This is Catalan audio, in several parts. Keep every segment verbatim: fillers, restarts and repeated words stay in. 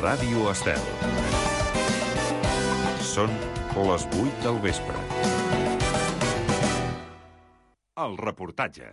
Ràdio Estel. Són les vuit del vespre. El reportatge.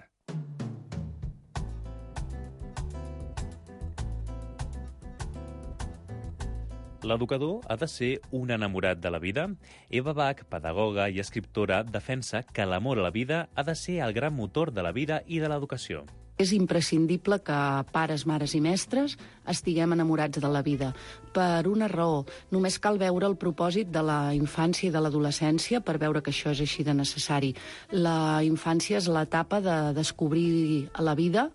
L'educador ha de ser un enamorat de la vida? Eva Bach, pedagoga i escriptora, defensa que l'amor a la vida ha de ser el gran motor de la vida i de l'educació. És imprescindible que pares, mares i mestres estiguem enamorats de la vida. Per una raó, només cal veure el propòsit de la infància i de l'adolescència per veure que això és així de necessari. La infància és l'etapa de descobrir la vida,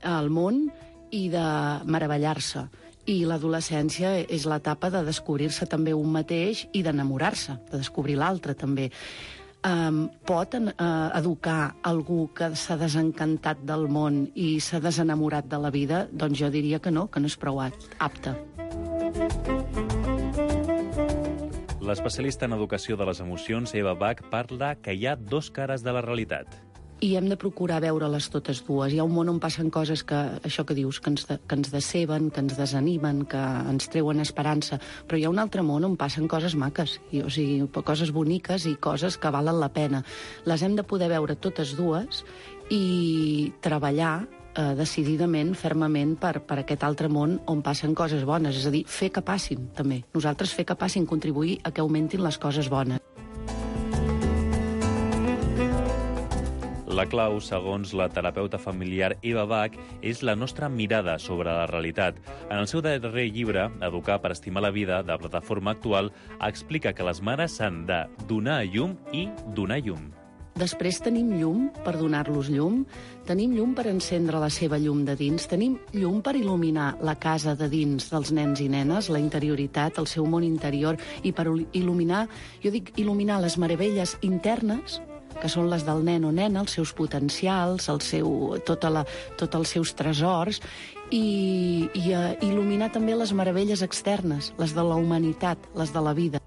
el món i de meravellar-se. I l'adolescència és l'etapa de descobrir-se també un mateix i d'enamorar-se, de descobrir l'altre també. Um, pot uh, educar algú que s'ha desencantat del món i s'ha desenamorat de la vida? Doncs jo diria que no, que no és prou apte. L'especialista en educació de les emocions, Eva Bach, parla que hi ha dos cares de la realitat. I hem de procurar veure-les totes dues. Hi ha un món on passen coses que, això que dius, que ens, de, que ens deceben, que ens desanimen, que ens treuen esperança, però hi ha un altre món on passen coses maques, i, o sigui, coses boniques i coses que valen la pena. Les hem de poder veure totes dues i treballar eh, decididament, fermament, per, per aquest altre món on passen coses bones, és a dir, fer que passin, també. Nosaltres fer que passin, contribuir a que augmentin les coses bones. La clau, segons la terapeuta familiar Eva Bach, és la nostra mirada sobre la realitat. En el seu darrer llibre, Educar per estimar la vida, de Plataforma Actual, explica que les mares s'han de donar a llum i donar llum. Després tenim llum per donar-los llum, tenim llum per encendre la seva llum de dins, tenim llum per il·luminar la casa de dins dels nens i nenes, la interioritat, el seu món interior, i per il·luminar, jo dic il·luminar les meravelles internes, que són les del nen o nena, els seus potencials, el seu, tota la, tots els seus tresors, i, i uh, il·luminar també les meravelles externes, les de la humanitat, les de la vida.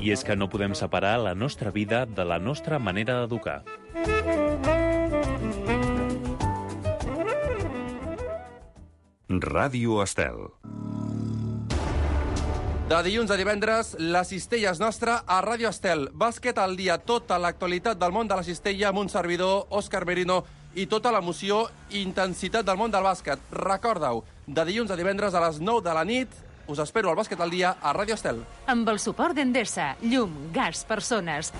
I és que no podem separar la nostra vida de la nostra manera d'educar. Ràdio Estel. De dilluns a divendres, la cistella és nostra a Ràdio Estel. Bàsquet al dia, tota l'actualitat del món de la cistella amb un servidor, Òscar Merino, i tota l'emoció i intensitat del món del bàsquet. Recorda-ho, de dilluns a divendres a les nou de la nit, us espero al Bàsquet al dia a Ràdio Estel. Amb el suport d'Endesa, llum, gas, persones.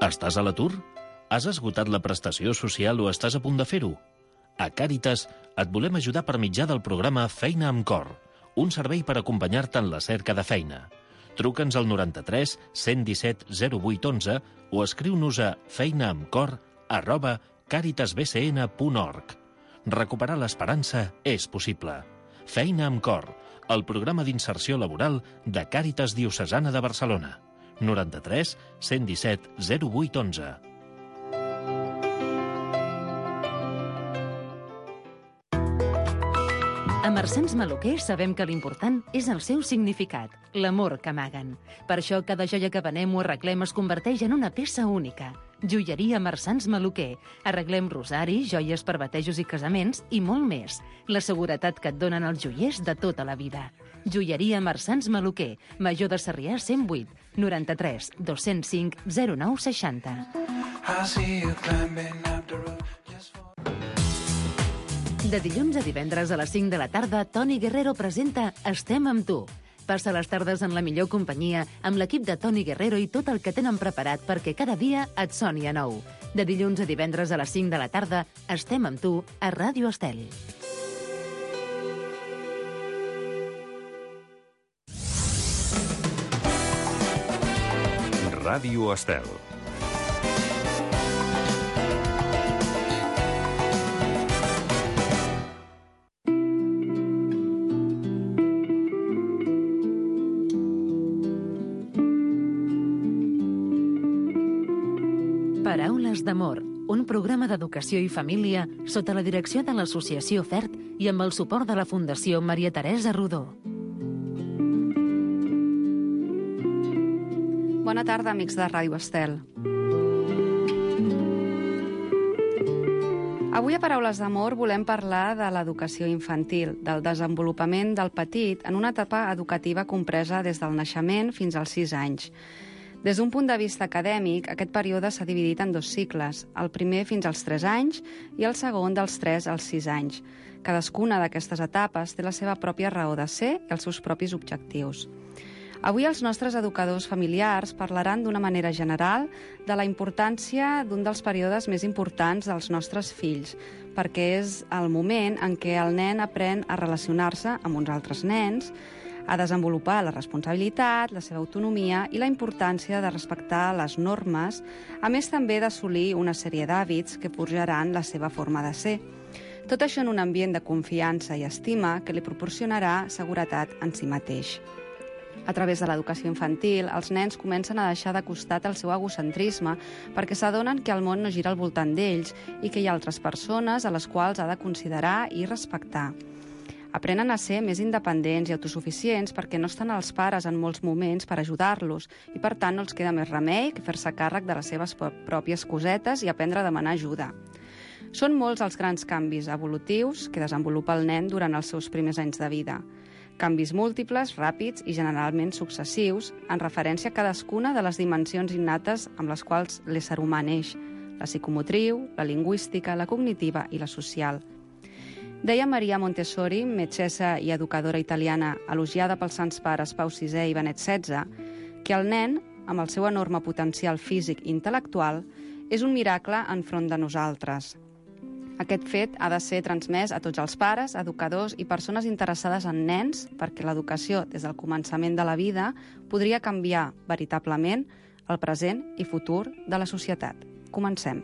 Estàs a l'atur? Has esgotat la prestació social o estàs a punt de fer-ho? A Càritas et volem ajudar per mitjà del programa Feina amb Cor, un servei per acompanyar-te en la cerca de feina. Truca'ns al noranta-tres cent disset zero vuit onze o escriu-nos a feinaamcor arroba caritasbcn punt org. Recuperar l'esperança és possible. Feina amb Cor, el programa d'inserció laboral de Càritas Diocesana de Barcelona. noranta-tres cent disset zero vuit onze. A Marsans Maluquer sabem que l'important és el seu significat, l'amor que amaguen. Per això cada joia que venem o arreglem es converteix en una peça única. Joieria Marsans Maluquer. Arreglem rosaris, joies per batejos i casaments i molt més. La seguretat que et donen els joiers de tota la vida. Joieria Marsans Maluquer. Major de Sarrià cent vuit, noranta-tres dos-cents cinc zero nou seixanta. De dilluns a divendres a les cinc de la tarda, Toni Guerrero presenta Estem amb tu. Passa les tardes en la millor companyia amb l'equip de Toni Guerrero i tot el que tenen preparat perquè cada dia et soni a nou. De dilluns a divendres a les cinc de la tarda, Estem amb tu a Ràdio Estel. Ràdio Estel. Paraules d'amor, un programa d'educació i família sota la direcció de l'Associació FERT i amb el suport de la Fundació Maria Teresa Rodó. Bona tarda, amics de Ràdio Estel. Avui a Paraules d'Amor volem parlar de l'educació infantil, del desenvolupament del petit en una etapa educativa compresa des del naixement fins als sis anys. Des d'un punt de vista acadèmic, aquest període s'ha dividit en dos cicles, el primer fins als tres anys i el segon dels tres als sis anys. Cadascuna d'aquestes etapes té la seva pròpia raó de ser i els seus propis objectius. Avui els nostres educadors familiars parlaran d'una manera general de la importància d'un dels períodes més importants dels nostres fills, perquè és el moment en què el nen aprèn a relacionar-se amb uns altres nens, a desenvolupar la responsabilitat, la seva autonomia i la importància de respectar les normes, a més també d'assolir una sèrie d'hàbits que forjaran la seva forma de ser. Tot això en un ambient de confiança i estima que li proporcionarà seguretat en si mateix. A través de l'educació infantil, els nens comencen a deixar de costat el seu egocentrisme perquè s'adonen que el món no gira al voltant d'ells i que hi ha altres persones a les quals ha de considerar i respectar. Aprenen a ser més independents i autosuficients perquè no estan els pares en molts moments per ajudar-los i, per tant, no els queda més remei que fer-se càrrec de les seves pròpies cosetes i aprendre a demanar ajuda. Són molts els grans canvis evolutius que desenvolupa el nen durant els seus primers anys de vida. Canvis múltiples, ràpids i generalment successius en referència a cadascuna de les dimensions innates amb les quals l'ésser humà neix, la psicomotriu, la lingüística, la cognitiva i la social. Deia Maria Montessori, metgessa i educadora italiana elogiada pels sants pares Pau sisè i Benet setze, que el nen, amb el seu enorme potencial físic i intel·lectual, és un miracle enfront de nosaltres. Aquest fet ha de ser transmès a tots els pares, educadors i persones interessades en nens perquè l'educació des del començament de la vida podria canviar veritablement el present i futur de la societat. Comencem.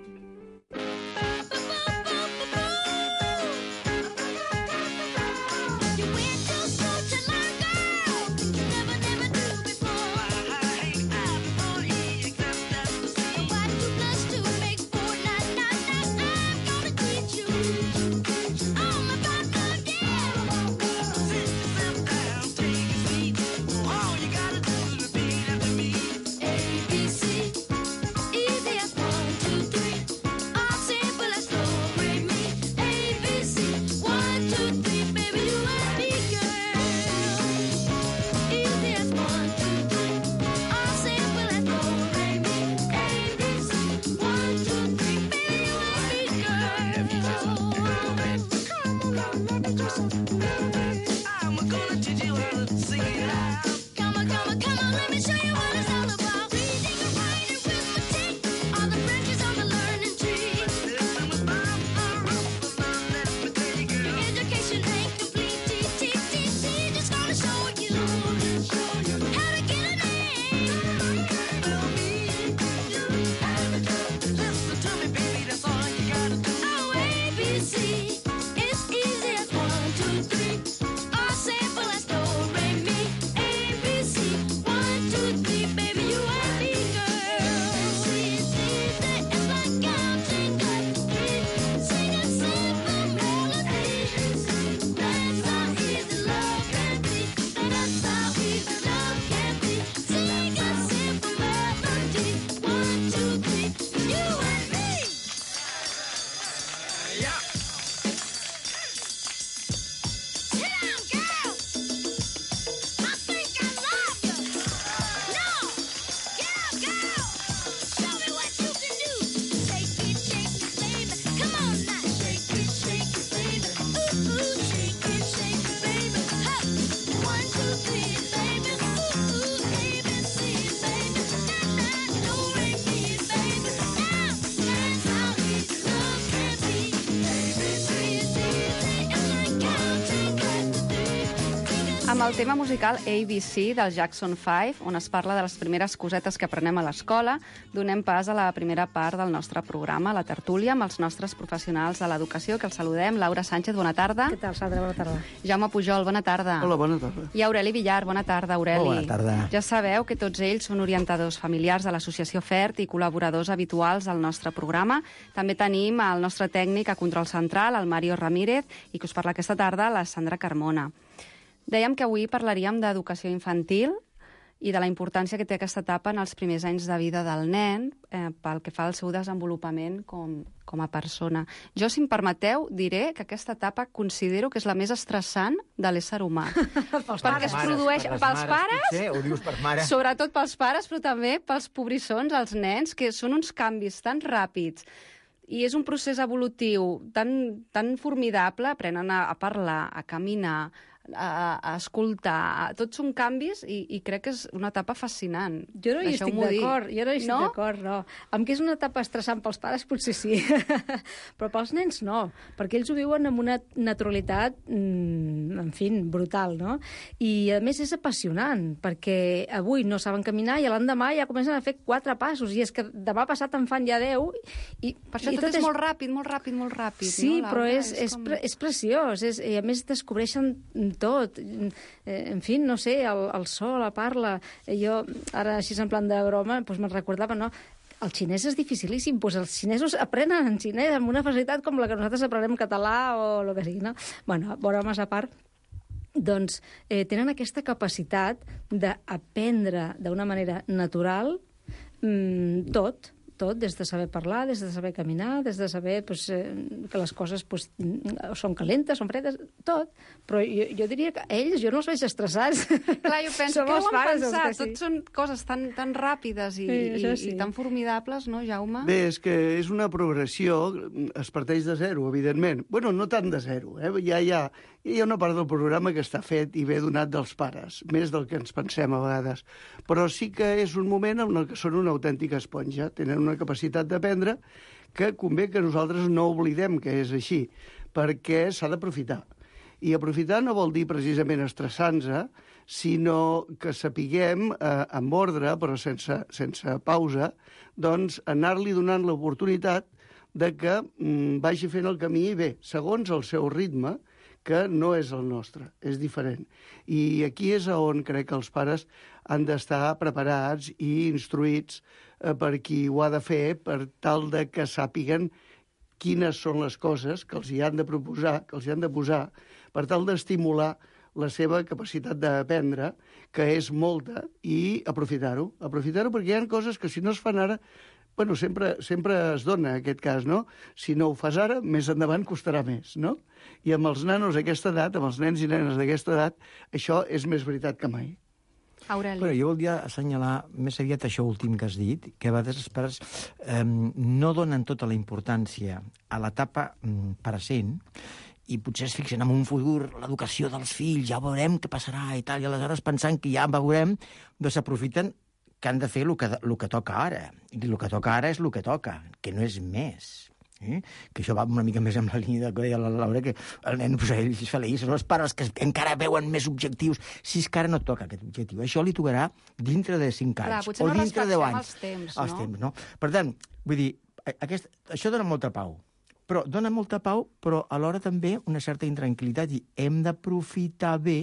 Amb el tema musical A B C del Jackson five, on es parla de les primeres cosetes que aprenem a l'escola, donem pas a la primera part del nostre programa, la tertúlia, amb els nostres professionals de l'educació, que els saludem. Laura Sánchez, bona tarda. Què tal, Sandra? Bona tarda. Jaume Pujol, bona tarda. Hola, bona tarda. I Aureli Villar, bona tarda, Aureli. Hola, bona tarda. Ja sabeu que tots ells són orientadors familiars de l'Associació FERT i col·laboradors habituals al nostre programa. També tenim el nostre tècnic a Control Central, el Mario Ramírez, i que us parla aquesta tarda, la Sandra Carmona. Dèiem que avui parlaríem d'educació infantil i de la importància que té aquesta etapa en els primers anys de vida del nen eh, pel que fa al seu desenvolupament com, com a persona. Jo, si em permeteu, diré que aquesta etapa considero que és la més estressant de l'ésser humà. Perquè es produeix per les pels pares, potser, ho dius per mare. sobretot pels pares, però també pels pobrissons, els nens, que són uns canvis tan ràpids. I és un procés evolutiu tan, tan formidable, aprenen a, a parlar, a caminar, a, a escoltar, a, tots són canvis i, i crec que és una etapa fascinant. Jo no hi estic d'acord, jo no hi estic no? d'acord, no. Amb que és una etapa estressant pels pares, potser sí, però pels nens no, perquè ells ho viuen amb una naturalitat, mm, en fi, brutal, no? I, a més, és apassionant, perquè avui no saben caminar i l'endemà ja comencen a fer quatre passos, i és que demà passat en fan ja deu. I, per això i tot, tot és molt ràpid, molt ràpid, molt ràpid. Sí, no, però és, és, és, com... pre és preciós, és, i a més descobreixen tot. Eh, en fi, no sé, el, el so, la parla. Jo, ara, així en plan de broma, doncs me'n recordava, no? El xinès és dificilíssim, doncs els xinesos aprenen en xinès amb una facilitat com la que nosaltres aprenem català o el que sigui, no? Bueno, bromes a part, doncs eh, tenen aquesta capacitat d'aprendre d'una manera natural mmm, tot, tot, des de saber parlar, des de saber caminar, des de saber pues, eh, que les coses pues, són calentes, són fredes, tot. Però jo, jo diria que ells, jo no els veig estressats. Clar, jo penso, Som què els ho han pares, pensat? els que sí. Tots són coses tan, tan ràpides i, Sí, i, això sí. i tan formidables, no, Jaume? Bé, és que és una progressió, es parteix de zero, evidentment. Bueno, no tant de zero, eh? Ja hi ha, hi ha una part del programa que està fet i ve donat dels pares, més del que ens pensem a vegades. Però sí que és un moment en el que són una autèntica esponja, tenen una capacitat d'aprendre que convé que nosaltres no oblidem que és així, perquè s'ha d'aprofitar. I aprofitar no vol dir precisament estressar-nos, sinó que sapiguem, eh, amb ordre, però sense, sense pausa, doncs anar-li donant l'oportunitat de que mm, vagi fent el camí bé, segons el seu ritme, que no és el nostre, és diferent. I aquí és on crec que els pares han d'estar preparats i instruïts eh, per qui ho ha de fer, per tal de que sàpiguen quines són les coses que els hi han de proposar, que els hi han de posar, per tal d'estimular la seva capacitat d'aprendre, que és molta, i aprofitar-ho. Aprofitar-ho perquè hi ha coses que si no es fan ara, bueno, sempre, sempre es dona aquest cas, no? Si no ho fas ara, més endavant costarà més, no? I amb els nanos d'aquesta edat, amb els nens i nenes d'aquesta edat, això és més veritat que mai. Aureli. Però jo volia assenyalar més aviat això últim que has dit, que a vegades els pares eh, no donen tota la importància a l'etapa mm, present i potser es fixen en un futur, l'educació dels fills, ja veurem què passarà i tal, i aleshores pensant que ja veurem, doncs s'aprofiten que han de fer el que, el que toca ara. I el que toca ara és el que toca, que no és més. Eh? Que això va una mica més amb la línia que deia la Laura, que el nen, pues, ell és feliç, són els pares que encara veuen més objectius. Si és que ara no toca aquest objectiu, això li tocarà dintre de cinc anys. Clar, potser o no dintre de deu anys. els temps, els no? temps, no? Per tant, vull dir, aquest, això dona molta pau. Però dona molta pau, però alhora també una certa intranquil·litat, i hem d'aprofitar bé,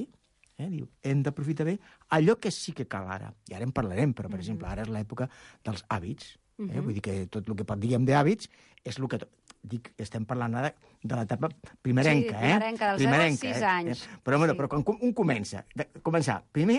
eh, diu, hem d'aprofitar bé allò que sí que cal ara. I ara en parlarem, però, per mm-hmm. exemple, ara és l'època dels hàbits. Eh? Mm-hmm. Vull dir que tot el que diguem d'hàbits és el que... Dic, estem parlant ara de l'etapa primerenca, sí, primerenca, eh? dels zero als sis anys. Eh? Però, bueno, sí. però quan un comença, de començar, primer,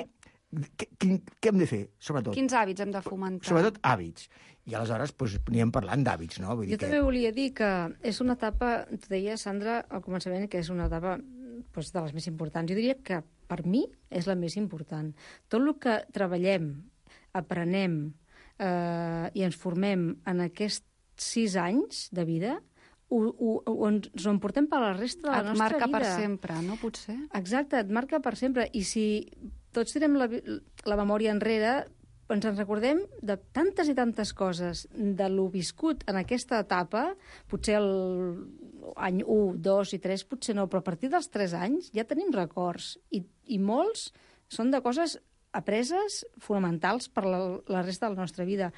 què, què hem de fer, sobretot? Quins hàbits hem de fomentar? Sobretot hàbits. I aleshores doncs, anirem parlant d'hàbits, no? Vull dir jo que... també volia dir que és una etapa, tu deies, Sandra, al començament, que és una etapa doncs, de les més importants. Jo diria que per mi és la més important. Tot el que treballem, aprenem eh, i ens formem en aquests sis anys de vida, ho, ho, ho, ens ho emportem per la resta de la et nostra vida. marca per sempre, no? Potser? Exacte, et marca per sempre. I si tots tirem la, la memòria enrere, ens en recordem de tantes i tantes coses, de lo viscut en aquesta etapa, potser el any u, dos i tres, potser no, però a partir dels tres anys ja tenim records. I, i molts són de coses apreses fonamentals per la, la resta de la nostra vida.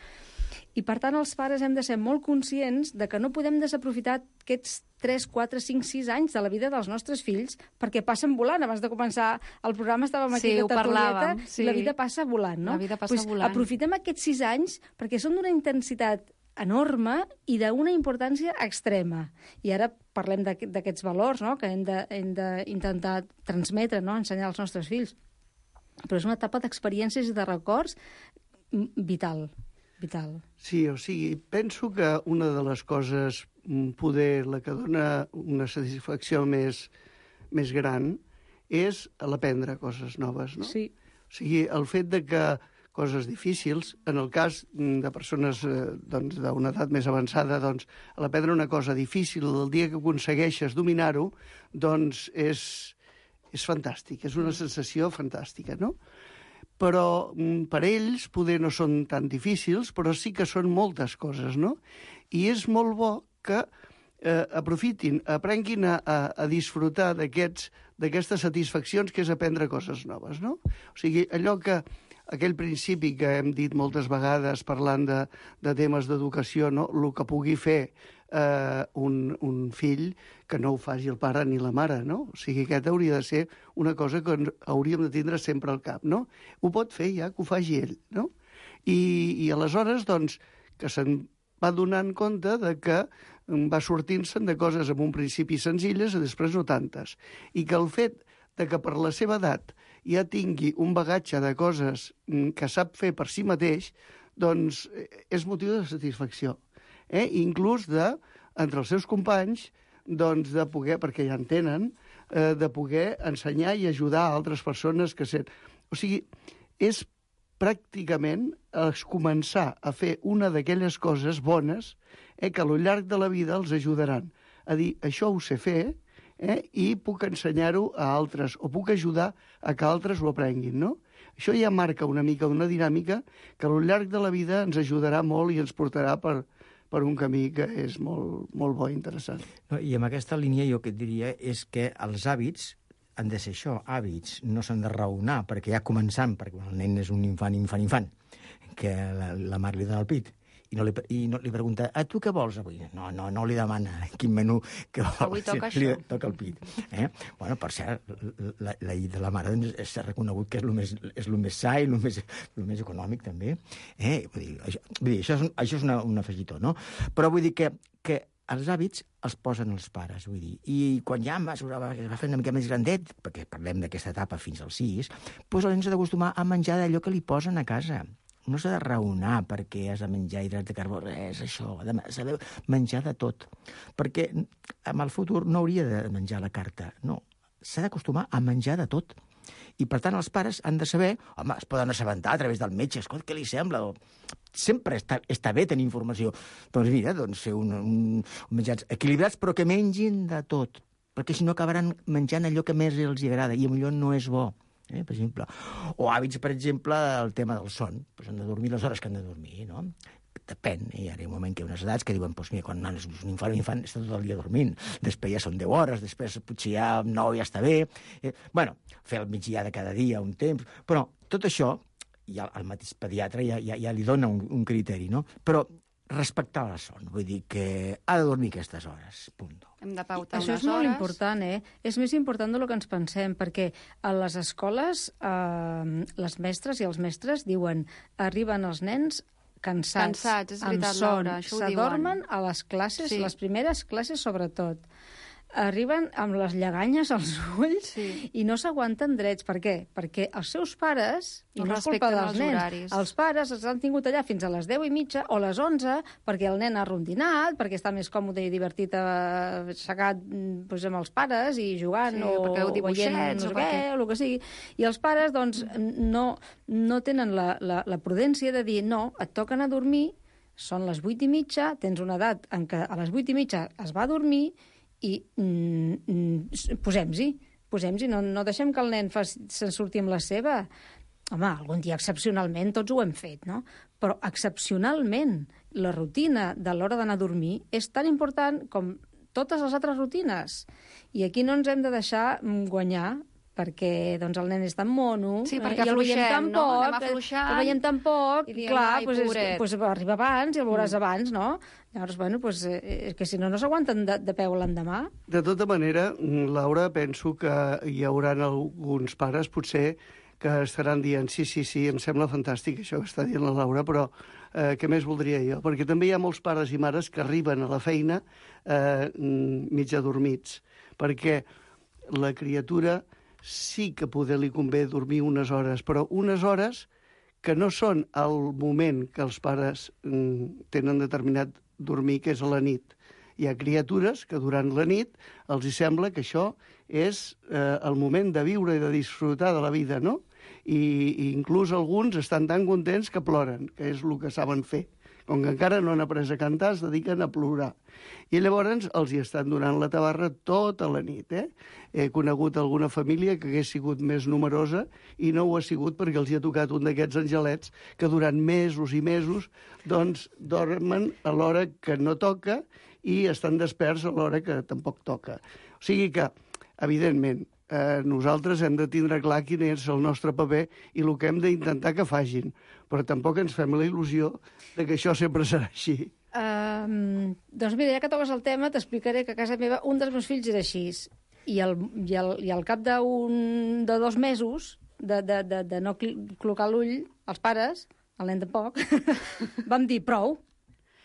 I, per tant, els pares hem de ser molt conscients de que no podem desaprofitar aquests tres, quatre, cinc, sis anys de la vida dels nostres fills perquè passen volant. Abans de començar el programa estàvem aquí sí, a tertulieta sí. i la vida passa volant, no? La vida passa pues, volant. Aprofitem aquests sis anys perquè són d'una intensitat enorme i d'una importància extrema. I ara parlem d'aquests valors, no?, que hem d'intentar transmetre, no?, ensenyar als nostres fills. però és una etapa d'experiències i de records vital, vital. Sí, o sigui, penso que una de les coses, poder, la que dona una satisfacció més, més gran, és l'aprendre coses noves, no? Sí. O sigui, el fet de que coses difícils, en el cas de persones eh, doncs, d'una edat més avançada, doncs, l'aprendre una cosa difícil, el dia que aconsegueixes dominar-ho, doncs és, és fantàstic, és una sensació fantàstica, no? Però per ells poder no són tan difícils, però sí que són moltes coses, no? I és molt bo que eh, aprofitin, aprenguin a, a, a disfrutar d'aquests d'aquestes satisfaccions que és aprendre coses noves, no? O sigui, allò que aquell principi que hem dit moltes vegades parlant de, de temes d'educació, no? El que pugui fer eh, un, un fill que no ho faci el pare ni la mare, no? O sigui, aquest hauria de ser una cosa que hauríem de tindre sempre al cap, no? Ho pot fer ja, que ho faci ell, no? I, i aleshores, doncs, que se'n va donant compte de que va sortint-se'n de coses amb un principi senzilles i després no tantes. I que el fet de que per la seva edat ja tingui un bagatge de coses que sap fer per si mateix, doncs és motiu de satisfacció. Eh? Inclús de, entre els seus companys, doncs de poder, perquè ja en tenen, eh, de poder ensenyar i ajudar a altres persones que sent. O sigui, és pràcticament es començar a fer una d'aquelles coses bones eh, que al llarg de la vida els ajudaran a dir, això ho sé fer, eh, i puc ensenyar-ho a altres, o puc ajudar a que altres ho aprenguin, no? Això ja marca una mica una dinàmica que al llarg de la vida ens ajudarà molt i ens portarà per, per un camí que és molt, molt bo i interessant. No, i amb aquesta línia jo que et diria és que els hàbits han de ser això, hàbits, no s'han de raonar, perquè ja començant, perquè el nen és un infant, infant, infant, que la, la mare li dona el pit, i no li, i no li pregunta, a tu què vols avui? No, no, no li demana quin menú que vol. Avui toca li això. Toca el pit. Eh? Bueno, per cert, la, la llet de la mare doncs, s'ha reconegut que és el més, és el més sa i el més, el més econòmic, també. Eh? Vull dir, això, vull dir, això és, un, això és una, un afegitó, no? Però vull dir que, que els hàbits els posen els pares, vull dir. I quan ja va, va fer una mica més grandet, perquè parlem d'aquesta etapa fins als sis, doncs el nen s'ha d'acostumar a menjar d'allò que li posen a casa. No s'ha de raonar perquè has de menjar hidrats de carbó, res, això, s'ha de menjar de tot. Perquè en el futur no hauria de menjar la carta, no. S'ha d'acostumar a menjar de tot. I, per tant, els pares han de saber, home, es poden assabentar a través del metge, escolta, què li sembla? O... Sempre està, està bé tenir informació. Doncs mira, doncs fer un, un, un menjars equilibrats, però que mengin de tot, perquè si no acabaran menjant allò que més els agrada, i potser no és bo. Eh, per exemple. O hàbits, per exemple, el tema del son. Pues han de dormir les hores que han de dormir, no? Depèn. Hi ha un moment que hi ha unes edats que diuen, pues mira, quan és un infant, un infant està tot el dia dormint. Després ja són deu hores, després potser ja nou ja està bé. Eh, bueno, fer el migdia de cada dia un temps. Però tot això, ja el mateix pediatre ja, ja, ja li dona un, un criteri, no? Però respectar la son, vull dir que ha de dormir aquestes hores, punt. Hem de pautar Això unes és molt hores. important, eh? És més important del que ens pensem, perquè a les escoles eh, les mestres i els mestres diuen arriben els nens cansats, Cansats, és veritat, amb son, Laura, això ho s'adormen diuen. a les classes, Sí. les primeres classes sobretot. Arriben amb les lleganyes als ulls Sí. i no s'aguanten drets. Per què? Perquè els seus pares, i No no és culpa respecten dels els nens, horaris. els pares els han tingut allà fins a les deu i mitja o les onze perquè el nen ha rondinat, perquè està més còmode i divertit eh, assegat doncs, amb els pares i jugant Sí, o, o perquè veu o veient dibuixets, no sé o què, perquè- o el que sigui. I els pares doncs, no, no tenen la, la, la prudència de dir no, et toquen a dormir, són les vuit i mitja, tens una edat en què a les vuit i mitja es va a dormir i mm, mm, posem-s'hi, posem-s'hi, no, no deixem que el nen fa, se'n surti amb la seva. Home, algun dia excepcionalment tots ho hem fet, no? Però excepcionalment la rutina de l'hora d'anar a dormir és tan important com totes les altres rutines. I aquí no ens hem de deixar guanyar perquè doncs, el nen és tan mono Sí, eh, perquè i el veiem afluixem, tan no? poc, Anem afluixant el veiem tan poc, i diem, clar, ai, doncs, és, pobret. doncs arriba abans i el veuràs mm. abans, no? Llavors, bueno, doncs, eh, és que si no, no s'aguanten de, de peu l'endemà. De tota manera, Laura, penso que hi haurà alguns pares, potser, que estaran dient sí, sí, sí, em sembla fantàstic això que està dient la Laura, però eh, què més voldria jo? Perquè també hi ha molts pares i mares que arriben a la feina eh, mig adormits, perquè la criatura sí que poder li convé dormir unes hores, però unes hores que no són el moment que els pares mm, tenen determinat dormir, que és a la nit. Hi ha criatures que durant la nit els hi sembla que això és eh, el moment de viure i de disfrutar de la vida, no? I, i inclús alguns estan tan contents que ploren, que és el que saben fer. Com que encara no han après a cantar, es dediquen a plorar. I llavors els hi estan donant la tabarra tota la nit. Eh? He conegut alguna família que hagués sigut més numerosa i no ho ha sigut perquè els hi ha tocat un d'aquests angelets que durant mesos i mesos doncs, dormen a l'hora que no toca i estan desperts a l'hora que tampoc toca. O sigui que, evidentment, eh, nosaltres hem de tindre clar quin és el nostre paper i el que hem d'intentar que facin. Però tampoc ens fem la il·lusió de que això sempre serà així. Um, doncs mira, ja que toques el tema, t'explicaré que a casa meva un dels meus fills era així. I, el, i, el, i al cap d'un, de dos mesos de, de, de, de no col·locar l'ull, els pares, el nen tampoc, vam dir prou,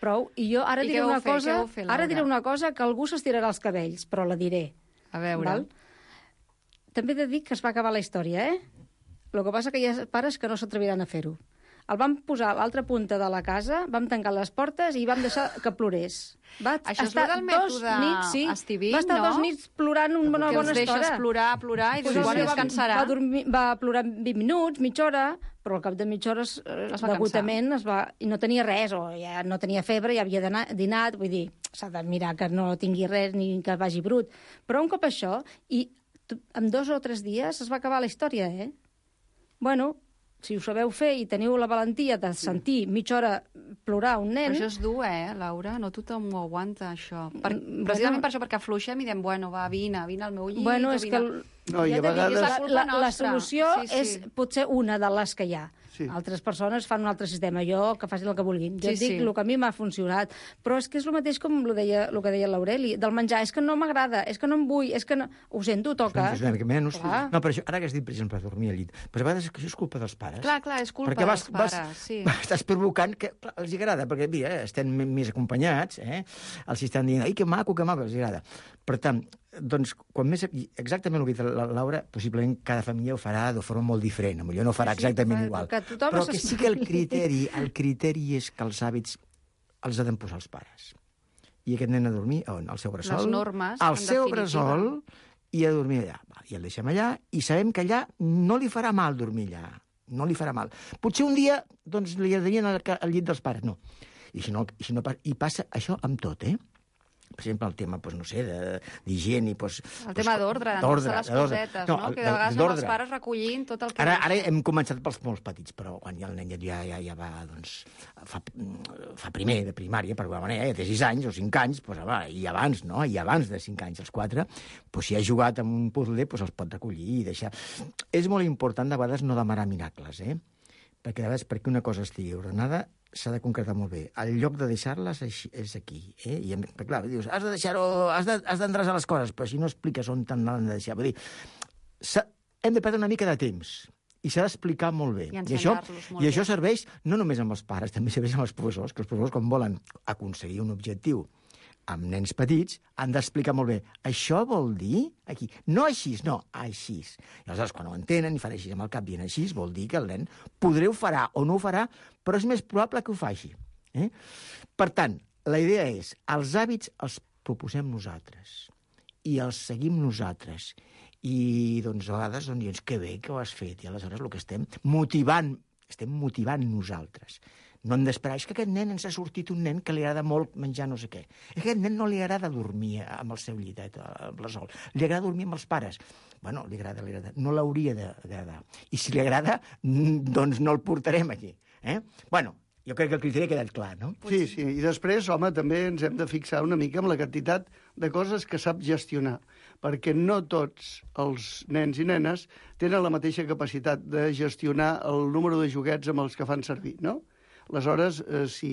prou. I jo ara I diré una fer, cosa, fer, ara diré una cosa que algú s'estirarà els cabells, però la diré. A veure. Val? També he de dir que es va acabar la història, eh? El que passa que hi ha pares que no s'atreviran a fer-ho. El vam posar a l'altra punta de la casa, vam tancar les portes i vam deixar que plorés. Va Això és estar del mètode nits, sí, Estivín, va estar no? dos nits plorant una bona, bona estona. Que els estona. deixes plorar, plorar, i Pues dius, bueno, va, descansarà. Va, dormir, va plorar vint minuts, mitja hora, però al cap de mitja hora eh, d'agotament es va... I no tenia res, o ja no tenia febre, ja havia dinat, vull dir, s'ha de mirar que no tingui res ni que vagi brut. Però un cop això, i en dos o tres dies es va acabar la història, eh? Bueno, si ho sabeu fer i teniu la valentia de sentir mitja hora plorar un nen... Però això és dur, eh, Laura? No tothom ho aguanta, això. Per, Bueno, precisament per això, perquè afluixem i diem, bueno, va, vine, vine al meu llit... Bueno, o és vine... que... el- No, i Ja a t'he dit, vegades... és La, culpa la, la nostra. solució Sí, sí. és potser una de les que hi ha. Sí. Altres persones fan un altre sistema. Jo, que facin el que vulguin. Jo Sí, et dic sí. el que a mi m'ha funcionat. Però és que és el mateix com el, deia, el que deia l'Aureli, del menjar. És que no m'agrada, és que no em vull, és que no... Ho sento, toca. És una mica menys. Clar. No, però això, ara que has dit, per exemple, dormir al llit, però a vegades és que això és culpa dels pares. Clar, clar, és culpa perquè dels pares, sí. Estàs provocant que clar, els agrada, perquè mira, estem més acompanyats, eh? Els estan dient, ai, que maco, que maco, els agrada. Per tant, doncs, quan més... Exactament el que ha dit la Laura, possiblement cada família ho farà de forma molt diferent, potser no farà Sí, exactament que- igual. que tothom Però se que sí que el criteri, el criteri és que els hàbits els han de posar els pares. I aquest nen a dormir on? Al seu bressol. Les normes, al en seu definitiva. bressol i a dormir allà. Va, i el deixem allà i sabem que allà no li farà mal dormir allà. No li farà mal. Potser un dia doncs, li agradaria al, al llit dels pares. No. I si no, i si no i passa això amb tot, eh? Per exemple, el tema, doncs, no sé, d'higiene... Doncs, El tema d'ordre, d'endreçar les cosetes, no? no? Que de vegades amb els pares recollint tot el que... Ara, ara hem començat pels molt petits, però quan ja el nen ja, ja, ja va, doncs, fa, fa primer de primària, per alguna manera, ja té sis anys o cinc anys, doncs, va, i abans, no? I abans de cinc anys, els quatre, doncs, si ha jugat amb un puzzle, doncs els pot recollir i deixar... És molt important, de vegades, no demanar miracles, eh? Perquè, de vegades, perquè una cosa estigui ordenada, s'ha de concretar molt bé. El lloc de deixar-les és aquí. Eh? I, clar, dius, has de deixar-ho, has d'endreçar les coses, però si no expliques on t'han de deixar. Vull dir, hem de perdre una mica de temps i s'ha d'explicar molt bé. I I això, molt i això bé. serveix no només amb els pares, també serveix amb els professors, que els professors, quan volen aconseguir un objectiu amb nens petits, han d'explicar molt bé. Això vol dir aquí. No així, no, així. I aleshores, quan ho entenen i fan així amb el cap dient així, vol dir que el nen podré ho farà o no ho farà, però és més probable que ho faci. Eh? Per tant, la idea és, els hàbits els proposem nosaltres i els seguim nosaltres. I, doncs, a vegades, doncs, dius, que bé que ho has fet. I aleshores el que estem motivant, estem motivant nosaltres. No hem d'esperar, és que aquest nen ens ha sortit un nen que li agrada molt menjar no sé què. És que aquest nen no li agrada dormir amb el seu llitet, amb la sol. Li agrada dormir amb els pares. Bueno, li agrada, li agrada. No l'hauria d'agradar. I si li agrada, doncs no el portarem aquí. Eh? Bueno, jo crec que el criteri ha quedat clar, no? Sí, sí. I després, home, també ens hem de fixar una mica en la quantitat de coses que sap gestionar, perquè no tots els nens i nenes tenen la mateixa capacitat de gestionar el número de joguets amb els que fan servir, no? Aleshores, eh, si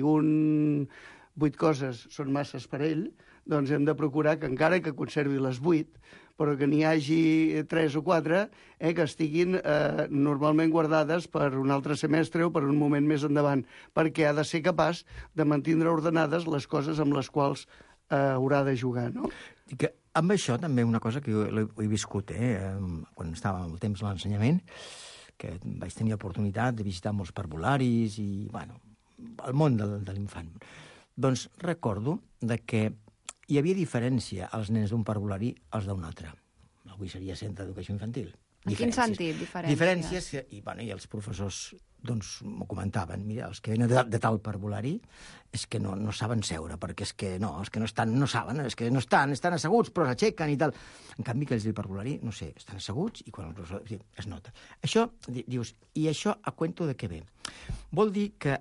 un vuit coses són masses per ell, doncs hem de procurar que encara que conservi les vuit, però que n'hi hagi tres o quatre eh, que estiguin eh, normalment guardades per un altre semestre o per un moment més endavant, perquè ha de ser capaç de mantindre ordenades les coses amb les quals eh, haurà de jugar, no? I que amb això també una cosa que jo ho he viscut, eh? Quan estava el temps de l'ensenyament, que vaig tenir l'oportunitat de visitar molts parvularis i, bueno, el món de, de l'infant. Doncs recordo de que hi havia diferència als nens d'un parvulari als d'un altre. Avui seria centre d'educació infantil. En quin sentit, diferències? Diferències, i, bueno, i els professors doncs, m'ho comentaven. Mira, els que venen de, de tal parvulari és que no, no saben seure, perquè és que no, els que no estan no saben, és que no estan, estan asseguts, però s'aixequen i tal. En canvi, aquells del parvulari, no sé, estan asseguts i quan el professor... Sí, es nota. Això, dius, i això a cuento de què ve? Vol dir que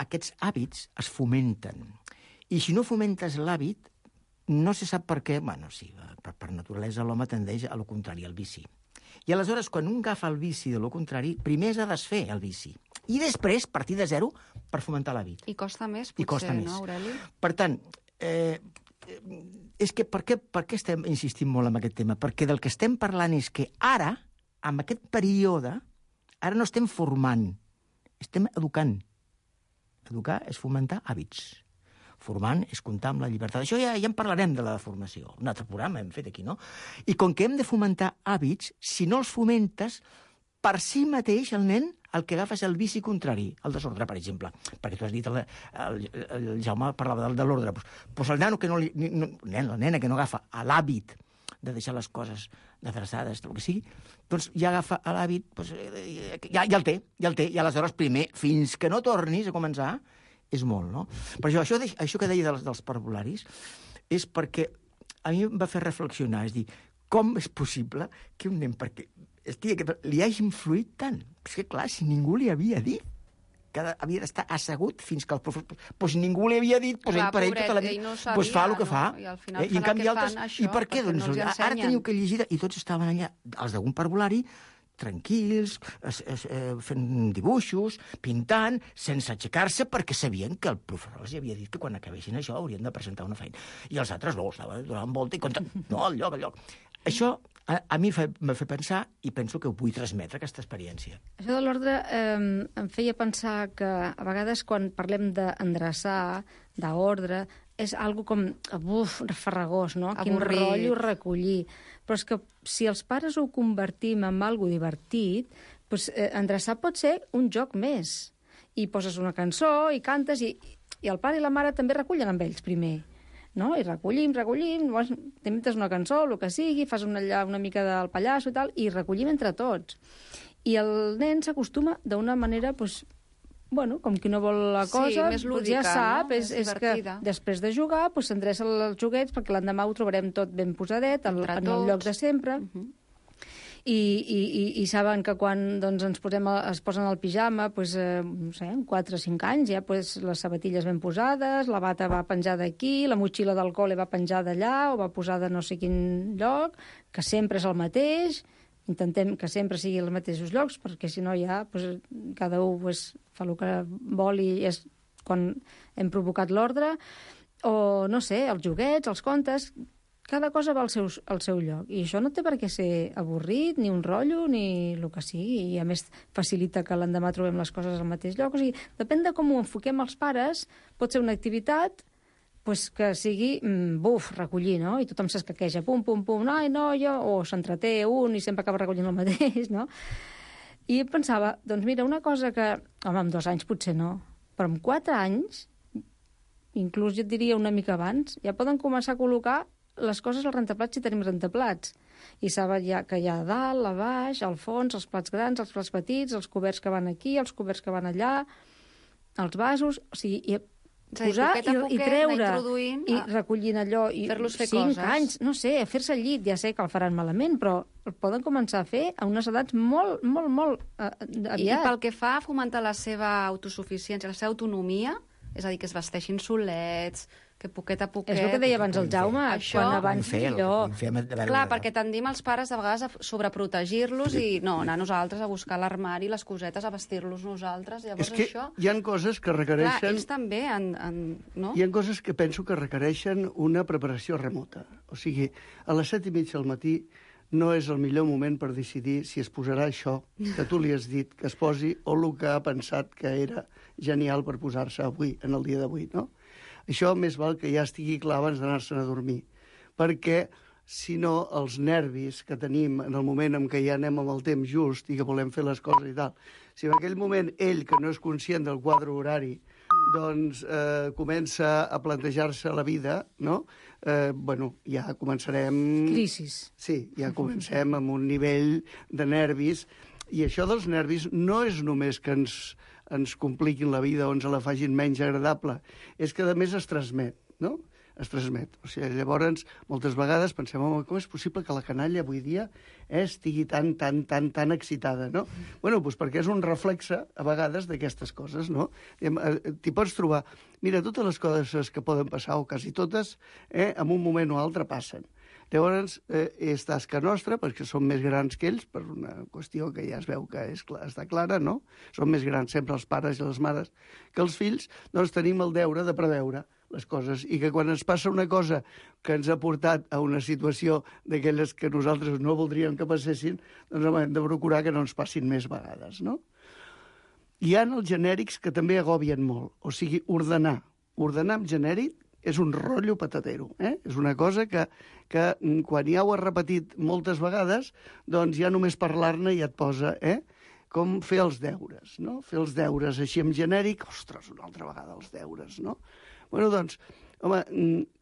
aquests hàbits es fomenten. I si no fomentes l'hàbit, no se sap per què, bueno, sí, per, per naturalesa l'home tendeix a lo contrari, al vici. I aleshores, quan un agafa el vici de lo contrari, primer s'ha de desfer el vici. I després, partir de zero, per fomentar l'hàbit. I costa més, potser, I costa no, més. Aureli? Per tant, eh, és que per què, per què estem insistint molt en aquest tema? Perquè del que estem parlant és que ara, en aquest període, ara no estem formant, estem educant. Educar és fomentar hàbits. Formant és comptar amb la llibertat. Això ja, ja en parlarem de la formació. Un altre programa hem fet aquí, no? I com que hem de fomentar hàbits, si no els fomentes, per si mateix el nen el que agafa és el vici contrari, el desordre, per exemple. Perquè tu has dit, el, el, el Jaume parlava del, de l'ordre. Pues, pues el nano que no li... No, nen, la nena que no agafa l'hàbit de deixar les coses adreçades, el que sigui, doncs ja agafa l'hàbit, doncs, ja, ja el té, ja el té, i aleshores primer, fins que no tornis a començar, és molt, no? Per això, això, això que deia dels, dels parvularis és perquè a mi em va fer reflexionar, és dir, com és possible que un nen, perquè estigui, que li hagi influït tant? És que, clar, si ningú li havia dit que havia d'estar assegut fins que el professor... Doncs ningú li havia dit, doncs ell per ell tota la vida... No sabia, doncs fa el que fa. No? I al final eh? I en canvi altres... Això, I per què? Doncs no ara teniu que llegir... I tots estaven allà, els d'algun parvulari, tranquils, es, es, eh, fent dibuixos, pintant, sense aixecar-se, perquè sabien que el professor els havia dit que quan acabessin això haurien de presentar una feina. I els altres no, estaven donant volta i comptant, no, al lloc, al lloc. Això a, a mi m'ha fet pensar i penso que ho vull transmetre, aquesta experiència. Això de l'ordre eh, em feia pensar que a vegades quan parlem d'endreçar, d'ordre, és algo com, uf, farragós, no? Quin rotllo recollir. Però és que si els pares ho convertim en algo divertit, doncs, eh, endreçar pot ser un joc més. I poses una cançó i cantes i, i el pare i la mare també recullen amb ells primer. No? I recollim, recollim, t'inventes una cançó, el que sigui, fas una, una mica del pallasso i tal, i recollim entre tots. I el nen s'acostuma d'una manera, doncs, bueno, com qui no vol la cosa, sí, més lúdica, ja sap, no? és, és que després de jugar doncs, s'endreça els joguets perquè l'endemà ho trobarem tot ben posadet, en, en el lloc de sempre. Uh -huh. I, i, i, i saben que quan doncs, ens posem a, es posen al pijama, doncs, eh, no sé, quatre o cinc anys, ja doncs, les sabatilles ben posades, la bata va penjada aquí, la motxilla del col·le va penjada allà, o va posada no sé quin lloc, que sempre és el mateix. Intentem que sempre sigui els mateixos llocs, perquè si no ja doncs, cada un doncs, fa el que vol i és quan hem provocat l'ordre. O, no sé, els joguets, els contes, cada cosa va al seu, al seu lloc. I això no té per què ser avorrit, ni un rotllo, ni el que sigui. I a més facilita que l'endemà trobem les coses al mateix lloc. O sigui, depèn de com ho enfoquem els pares, pot ser una activitat pues que sigui, buf, recollir, no? I tothom s'escaqueja, pum, pum, pum, ai, no, jo... O s'entreté un i sempre acaba recollint el mateix, no? I pensava, doncs mira, una cosa que... Home, amb dos anys potser no, però amb quatre anys, inclús jo et diria una mica abans, ja poden començar a col·locar les coses al rentaplats si tenim rentaplats. I saben ja que hi ha a dalt, a baix, al fons, els plats grans, els plats petits, els coberts que van aquí, els coberts que van allà, els vasos... O sigui, i posar poquet a poquet, i, i treure introduint, i recollint allò i fer-los fer cinc coses. anys, no sé, a fer-se al llit, ja sé que el faran malament, però el poden començar a fer a unes edats molt, molt, molt uh, aviat. I, I pel que fa a fomentar la seva autosuficiència, la seva autonomia, és a dir, que es vesteixin solets, que poquet a poquet... És el que deia abans el Jaume, això, quan abans millor. Clar, perquè tendim els pares a vegades a sobreprotegir-los i no, anar nosaltres a buscar l'armari, les cosetes, a vestir-los nosaltres. Llavors, és que això... hi ha coses que requereixen... Clar, ells també han... han no? Hi ha coses que penso que requereixen una preparació remota. O sigui, a les set i mitja del matí no és el millor moment per decidir si es posarà això que tu li has dit que es posi o el que ha pensat que era genial per posar-se avui, en el dia d'avui, no? Això més val que ja estigui clar abans d'anar-se'n a dormir, perquè sinó els nervis que tenim en el moment en què ja anem amb el temps just i que volem fer les coses i tal. Si en aquell moment ell, que no és conscient del quadre horari, doncs eh, comença a plantejar-se la vida, no? Eh, bueno, ja començarem... Crisis. Sí, ja comencem amb un nivell de nervis, i això dels nervis no és només que ens, ens compliquin la vida o ens la facin menys agradable, és que a més es transmet, no? es transmet. O sigui, llavors, moltes vegades pensem, home, com és possible que la canalla avui dia eh, estigui tan, tan, tan, tan excitada, no? Bueno, doncs perquè és un reflexe, a vegades, d'aquestes coses, no? T'hi pots trobar... Mira, totes les coses que poden passar, o quasi totes, eh, en un moment o altre passen. Llavors, eh, és tasca nostra, perquè som més grans que ells, per una qüestió que ja es veu que és, està clara, no? Som més grans sempre els pares i les mares que els fills, doncs tenim el deure de preveure les coses, i que quan ens passa una cosa que ens ha portat a una situació d'aquelles que nosaltres no voldríem que passessin, doncs hem de procurar que no ens passin més vegades, no? Hi ha els genèrics que també agobien molt, o sigui, ordenar. Ordenar amb genèric és un rotllo patatero, eh? És una cosa que, que quan ja ho has repetit moltes vegades, doncs ja només parlar-ne ja et posa, eh? Com fer els deures, no? Fer els deures així en genèric, ostres, una altra vegada els deures, no? Bueno, doncs, home,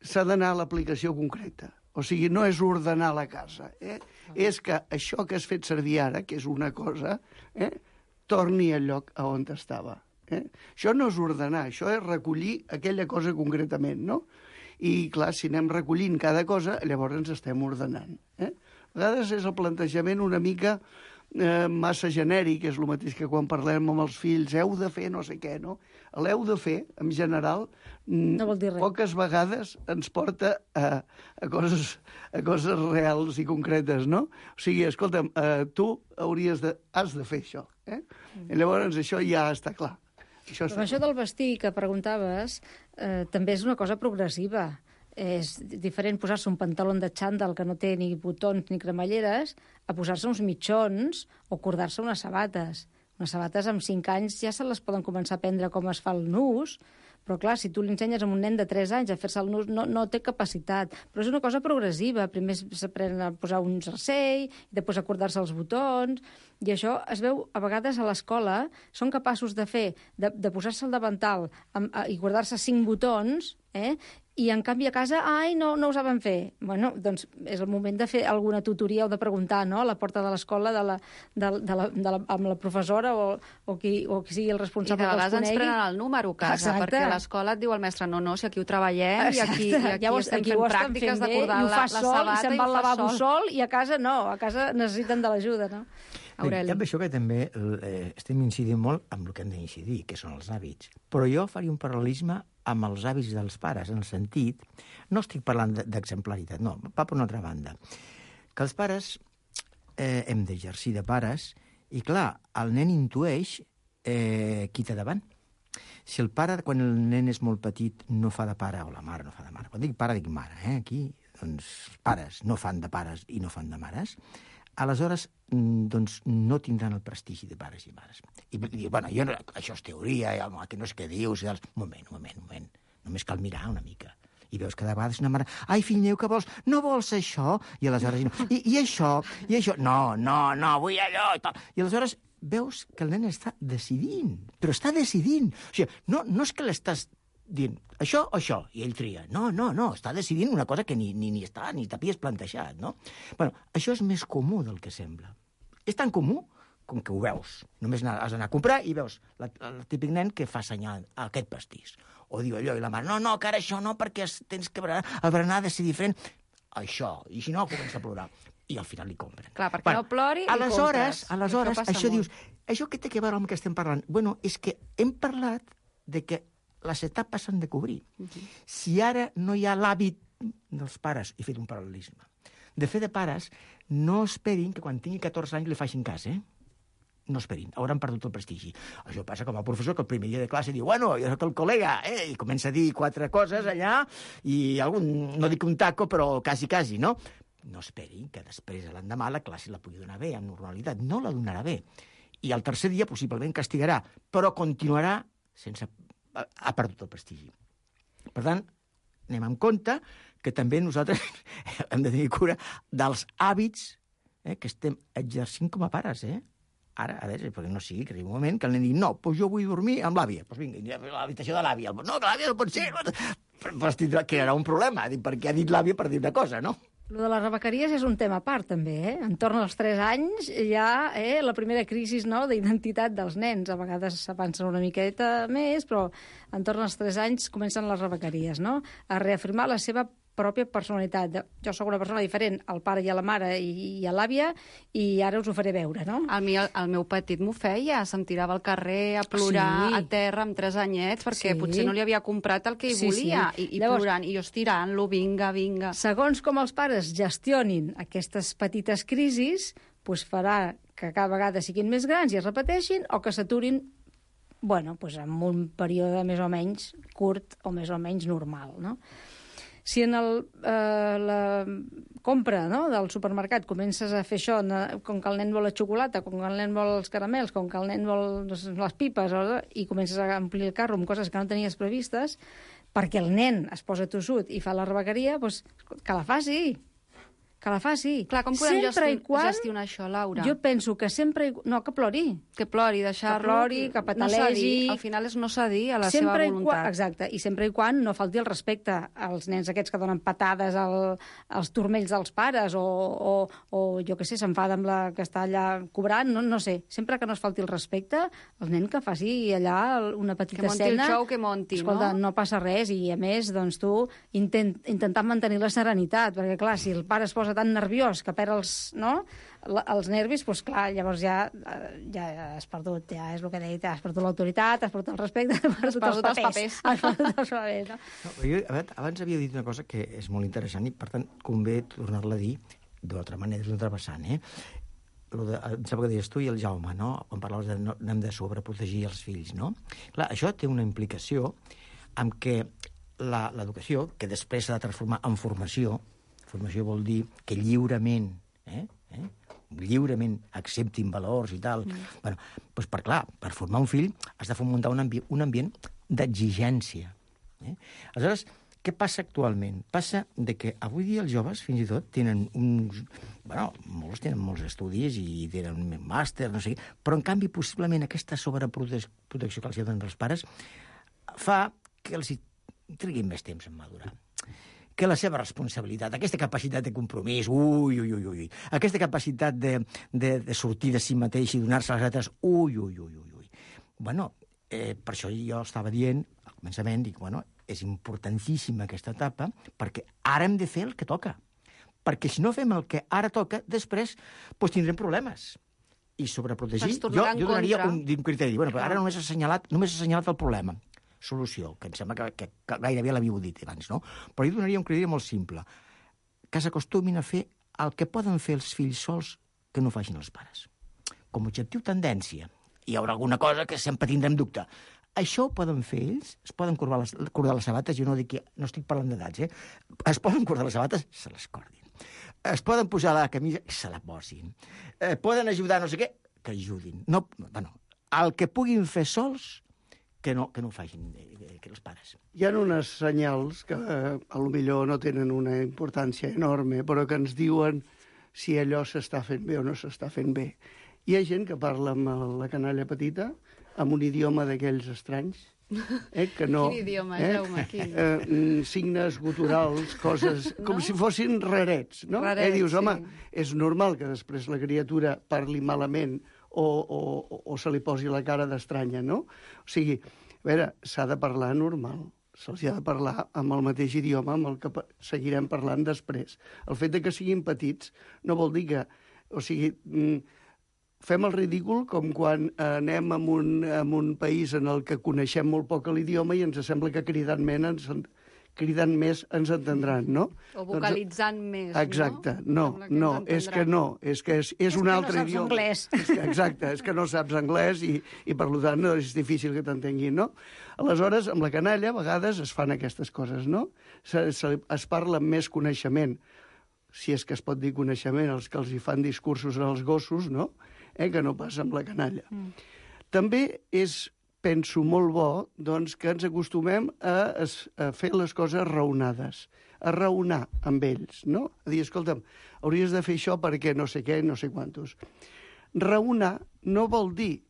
s'ha d'anar a l'aplicació concreta. O sigui, no és ordenar la casa, eh? És que això que has fet servir ara, que és una cosa, eh? torni al lloc a on estava. Eh? Això no és ordenar, això és recollir aquella cosa concretament, no? I, clar, si anem recollint cada cosa, llavors ens estem ordenant. Eh? A vegades és el plantejament una mica eh, massa genèric, és el mateix que quan parlem amb els fills, heu de fer no sé què, no? L'heu de fer, en general, no vol dir res. Poques vegades ens porta a, a, coses, a coses reals i concretes, no? O sigui, escolta'm, eh, tu hauries de, has de fer això, eh? Mm. I llavors això ja està clar. Això, Però això del vestir que preguntaves eh, també és una cosa progressiva. És diferent posar-se un pantaló de xandall que no té ni botons ni cremalleres a posar-se uns mitjons o cordar-se unes sabates. Unes sabates amb cinc anys ja se les poden començar a aprendre com es fa el nus, però clar, si tu li ensenyes a un nen de tres anys a fer-se el nus, no, no té capacitat. Però és una cosa progressiva. Primer s'aprèn a posar un jersei, i després a cordar-se els botons, i això es veu a vegades a l'escola, són capaços de fer, de, de posar-se el davantal amb, a, i guardar-se cinc botons, eh? I en canvi a casa, ai, no, no ho saben fer. Bueno, doncs és el moment de fer alguna tutoria o de preguntar, no?, a la porta de l'escola de la, de, de la, de la, amb la professora o, o, qui, o qui sigui el responsable que els conegui. I de vegades ens prenen el número a casa, exacte, perquè a l'escola et diu el mestre, no, no, si aquí ho treballem, exacte, i aquí, i aquí llavors, estem aquí fent pràctiques de cordar la, la sabata, i se'n va al lavabo sol, i a casa no, a casa necessiten de l'ajuda, no? Aureli. Amb això que també eh, estem incidint molt amb el que hem d'incidir, que són els hàbits. Però jo faria un paral·lelisme amb els hàbits dels pares, en el sentit... No estic parlant d'exemplaritat, no, va per una altra banda. Que els pares eh, hem d'exercir de pares i, clar, el nen intueix eh, qui té davant. Si el pare, quan el nen és molt petit, no fa de pare, o la mare no fa de mare, quan dic pare dic mare, eh? Aquí, doncs, pares no fan de pares i no fan de mares, aleshores doncs, no tindran el prestigi de pares i mares. I, i bueno, jo no, això és teoria, i, home, que no és què dius, i un moment, un moment, un moment, només cal mirar una mica. I veus que de vegades una mare, ai, fill meu, què vols? No vols això? I aleshores, no. I, i això? I això? No, no, no, vull allò, i tal. I aleshores veus que el nen està decidint, però està decidint. O sigui, no, no és que l'estàs dient això o això, i ell tria. No, no, no, està decidint una cosa que ni, ni, ni està, ni t'havies plantejat, no? Bueno, això és més comú del que sembla. És tan comú com que ho veus. Només has d'anar a comprar i veus la, el típic nen que fa senyal a aquest pastís. O diu allò, i la mare, no, no, que ara això no, perquè tens que berenar, el berenar ha de ser diferent. Això, i si no, comença a plorar. I al final li compren. Clar, perquè bueno, no plori i aleshores, compres. Aleshores, això, això molt. dius, això què té que veure amb el que estem parlant? Bueno, és que hem parlat de que les etapes s'han de cobrir. Uh-huh. Si ara no hi ha l'hàbit dels pares, he fet un paral·lelisme, de fer de pares, no esperin que quan tingui catorze anys li facin cas, eh? No esperin, hauran perdut el prestigi. Això passa com a professor que el primer dia de classe diu, bueno, jo soc el col·lega, eh? I comença a dir quatre coses allà, i algun, no dic un taco, però quasi, quasi, no? No esperin que després, l'endemà, la classe la pugui donar bé, amb normalitat. No la donarà bé. I el tercer dia possiblement castigarà, però continuarà sense... ha perdut el prestigi. Per tant, anem amb compte que també nosaltres hem de tenir cura dels hàbits eh, que estem exercint com a pares, eh? Ara, a veure, perquè no sigui que arribi un moment que el nen digui, no, doncs jo vull dormir amb l'àvia. Doncs vinga, a l'habitació de l'àvia. No, que l'àvia no pot ser. Però crearà un problema, perquè ha dit l'àvia per dir una cosa, no? Lo de les rebequeries és un tema a part, també, eh? Entorn als tres anys hi ha eh, la primera crisi no, d'identitat dels nens. A vegades s'avança una miqueta més, però entorn als tres anys comencen les rebequeries, no? A reafirmar la seva pròpia personalitat. Jo sóc una persona diferent al pare i a la mare i, i a l'àvia i ara us ho faré veure, no? El, mi, el meu petit m'ho feia, se'm tirava al carrer a plorar sí. a terra amb tres anyets perquè sí. potser no li havia comprat el que hi sí, volia sí. i, i Llavors, plorant, i jo estirant-lo, vinga, vinga. Segons com els pares gestionin aquestes petites crisis, doncs farà que cada vegada siguin més grans i es repeteixin o que s'aturin bueno, doncs en un període més o menys curt o més o menys normal, no? Si en el, eh, la compra no, del supermercat comences a fer això, com que el nen vol la xocolata, com que el nen vol els caramels, com que el nen vol les pipes, i comences a omplir el carro amb coses que no tenies previstes, perquè el nen es posa tossut i fa la rebequeria, doncs que la faci. Que la faci. Clar, com podem sempre gestionar, quan, gestionar això, Laura? Jo penso que sempre... No, que plori. Que plori, deixar-lo... Que plori, que petalegi... No al final és no cedir a la sempre seva voluntat. Quan, exacte, i sempre i quan no falti el respecte als nens aquests que donen patades al, als turmells dels pares o, o, o jo què sé, s'enfada amb la que està allà cobrant, no, no sé. Sempre que no es falti el respecte, el nen que faci allà una petita escena... Que monti escena, el show, que monti, escolta, no? no passa res, i a més, doncs tu intent, intentant mantenir la serenitat, perquè clar, si el pare es posa tan nerviós que perd els, no? els nervis, doncs clar, llavors ja, ja has perdut, ja és el que he dit, has perdut l'autoritat, has perdut el respecte, has perdut, has perdut els papers. Els papers. Has perdut els papers, no? No, jo, a veure, abans havia dit una cosa que és molt interessant i, per tant, convé tornar-la a dir d'una altra manera, d'una altra vessant, eh? Lo de, em sembla que deies tu i el Jaume, no? Quan parlaves de no, hem de sobreprotegir els fills, no? Clar, això té una implicació amb què l'educació, que després s'ha de transformar en formació, formació vol dir que lliurement, eh, eh, lliurement acceptin valors i tal. Mm. Bueno, doncs per clar, per formar un fill has de fomentar un, ambi un ambient d'exigència. Eh? Aleshores, què passa actualment? Passa de que avui dia els joves, fins i tot, tenen uns... Bueno, molts tenen molts estudis i tenen un màster, no sé què, però en canvi, possiblement, aquesta sobreprotecció que els donen els pares fa que els hi triguin més temps en madurar. Que la seva responsabilitat, aquesta capacitat de compromís, ui, ui, ui, ui, aquesta capacitat de, de, de sortir de si mateix i donar-se a les altres, ui, ui, ui, ui, ui. Bueno, eh, per això jo estava dient, al començament, dic, bueno, és importantíssima aquesta etapa, perquè ara hem de fer el que toca. Perquè si no fem el que ara toca, després doncs tindrem problemes. I sobreprotegir, jo, jo donaria un, un criteri. Bueno, però ara només ha assenyalat, només ha assenyalat el problema. Solució, que em sembla que, que, que gairebé l'havíeu dit abans, no? Però jo donaria un criteri molt simple, que s'acostumin a fer el que poden fer els fills sols que no facin els pares. Com a objectiu, tendència. Hi haurà alguna cosa que sempre tindrem dubte. Això ho poden fer ells, es poden cordar les, cordar les sabates, jo no dic que no estic parlant d'edats, eh? Es poden cordar les sabates, se les cordin. Es poden posar la camisa, se la posin. Eh, poden ajudar no sé què, que ajudin. No, bueno, el que puguin fer sols, que no, que no ho facin que els pares. Hi ha unes senyals que eh, a lo millor no tenen una importància enorme, però que ens diuen si allò s'està fent bé o no s'està fent bé. Hi ha gent que parla amb la canalla petita, amb un idioma d'aquells estranys, eh, que no... Quin idioma, eh, Jaume, quin? Eh, signes guturals, coses... No? Com si fossin rarets, no? Rarets, eh, dius, home, sí. És normal que després la criatura parli malament o, o, o se li posi la cara d'estranya, no? O sigui, a veure, s'ha de parlar normal, se'ls ha de parlar amb el mateix idioma amb el que seguirem parlant després. El fet de que siguin petits no vol dir que... O sigui, fem el ridícul com quan anem a un, a un país en el que coneixem molt poc l'idioma i ens sembla que cridant més ens, cridant més ens entendran, no? O vocalitzant doncs, més, exacte, no? Exacte, no, no, és que no, és que és, és, és un altre no idioma. Anglès. És que, exacte, és que no saps anglès i, i per tant no, és difícil que t'entenguin, no? Aleshores, amb la canalla, a vegades es fan aquestes coses, no? Se, se, es parla amb més coneixement, si és que es pot dir coneixement, els que els hi fan discursos als gossos, no? Eh, que no passa amb la canalla. Mm. També és penso molt bo doncs, que ens acostumem a, a fer les coses raonades, a raonar amb ells, no? A dir, escolta'm, hauries de fer això perquè no sé què, no sé quantos. Raonar no vol dir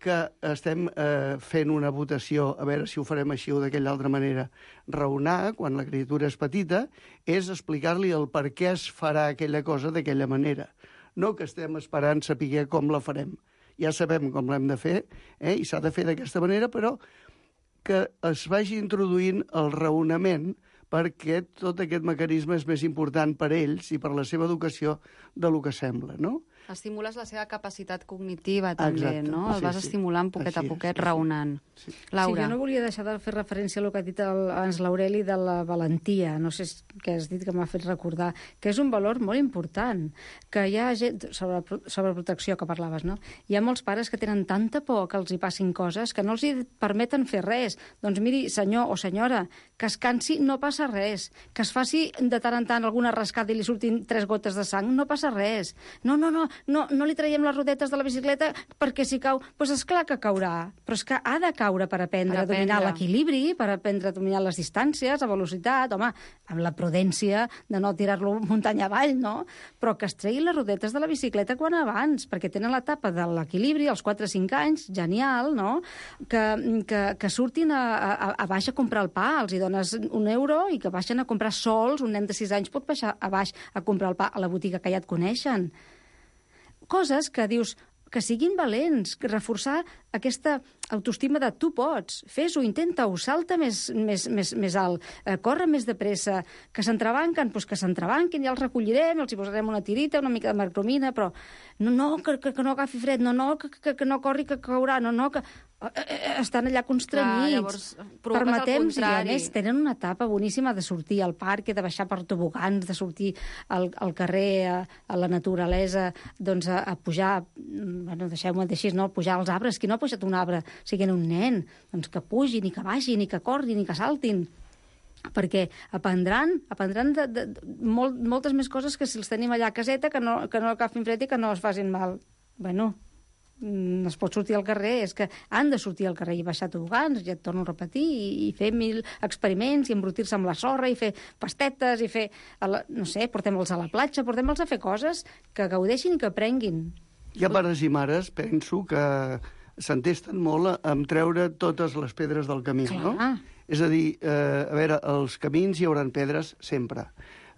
que estem eh, fent una votació a veure si ho farem així o d'aquella altra manera. Raonar, quan la criatura és petita, és explicar-li el per què es farà aquella cosa d'aquella manera. No que estem esperant saber com la farem. Ja sabem com l'hem de fer, eh? I s'ha de fer d'aquesta manera, però que es vagi introduint el raonament perquè tot aquest mecanisme és més important per ells i per la seva educació de lo que sembla, no? Estimules la seva capacitat cognitiva, també, Exacte. no? El Sí, vas sí. estimulant poquet Així a és, poquet, sí, sí. raonant. Sí. Laura. Sí, jo no volia deixar de fer referència a el que ha dit el, abans l'Aureli de la valentia, no sé què has dit que m'ha fet recordar, que és un valor molt important, que hi ha gent, sobre, sobre protecció que parlaves, no? Hi ha molts pares que tenen tanta por que els hi passin coses que no els hi permeten fer res. Doncs miri, senyor o senyora, que es cansi, no passa res. Que es faci de tant en tant alguna rascada i li surtin tres gotes de sang, no passa res. No, no, no, no, no li traiem les rodetes de la bicicleta perquè si cau, doncs és clar que caurà, però és que ha de caure per aprendre Per a dominar aprendre. l'equilibri, per aprendre a dominar les distàncies, a velocitat, home, amb la prudència de no tirar-lo muntanya avall, no? Però que es tregui les rodetes de la bicicleta quan abans, perquè tenen l'etapa de l'equilibri, als quatre o cinc anys, genial, no? Que, que, que surtin a, a, a baix a comprar el pa, els hi dones un euro i que baixen a comprar sols, un nen de sis anys pot baixar a baix a comprar el pa a la botiga que ja et coneixen. Coses que dius que siguin valents, que reforçar aquesta autoestima de tu pots, fes-ho, intenta-ho, salta més, més, més, més alt, eh, corre més de pressa, que s'entrebanquen, doncs que s'entrebanquin, ja els recollirem, els hi posarem una tirita, una mica de mercromina, però no, no, que, que, que no agafi fred, no, no, que, que, que no corri, que caurà, no, no, que eh, estan allà constrenyits. Clar, llavors provoques el Permetem, i a contrari. més tenen una etapa boníssima de sortir al parc, de baixar per tobogans, de sortir al, al carrer, a, a la naturalesa, doncs a, a pujar, bueno, deixeu-me dir així, no, pujar als arbres. Qui no ha pujat un arbre siguent un nen? Doncs que pugin, i que vagin, i que corrin, i que saltin. Perquè aprendran, aprendran de, de, de, molt, moltes més coses que si els tenim allà a caseta, que no, que no agafin fred i que no es facin mal. Bueno, no es pot sortir al carrer, és que han de sortir al carrer i baixar tobogans, ja et torno a repetir, i, i fer mil experiments, i embrutir-se amb la sorra, i fer pastetes, i fer, a la, no sé, portem-los a la platja, portem-los a fer coses que gaudeixin i que aprenguin. Hi ha pares i mares, penso, que s'entesten molt en treure totes les pedres del camí, Clar. no? És a dir, eh, a veure, als camins hi haurà pedres sempre.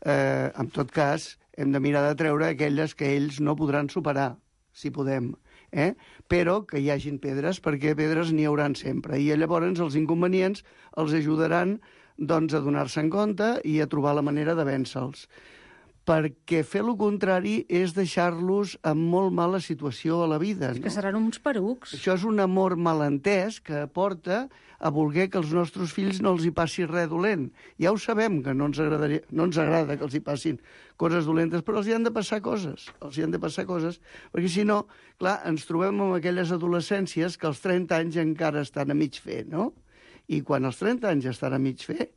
Eh, en tot cas, hem de mirar de treure aquelles que ells no podran superar, si podem. Eh? Però que hi hagin pedres, perquè pedres n'hi hauran sempre. I llavors els inconvenients els ajudaran doncs, a donar-se en compte i a trobar la manera de vèncer-los. Perquè fer el contrari és deixar-los en molt mala situació a la vida. És no? que seran uns perucs. Això és un amor malentès que porta a voler que els nostres fills no els hi passi res dolent. Ja ho sabem, que no ens, agradaria, no ens agrada que els hi passin coses dolentes, però els hi han de passar coses. Els hi han de passar coses, perquè si no, clar, ens trobem amb aquelles adolescències que als trenta anys encara estan a mig fer, no? I quan als trenta anys estan a mig fer,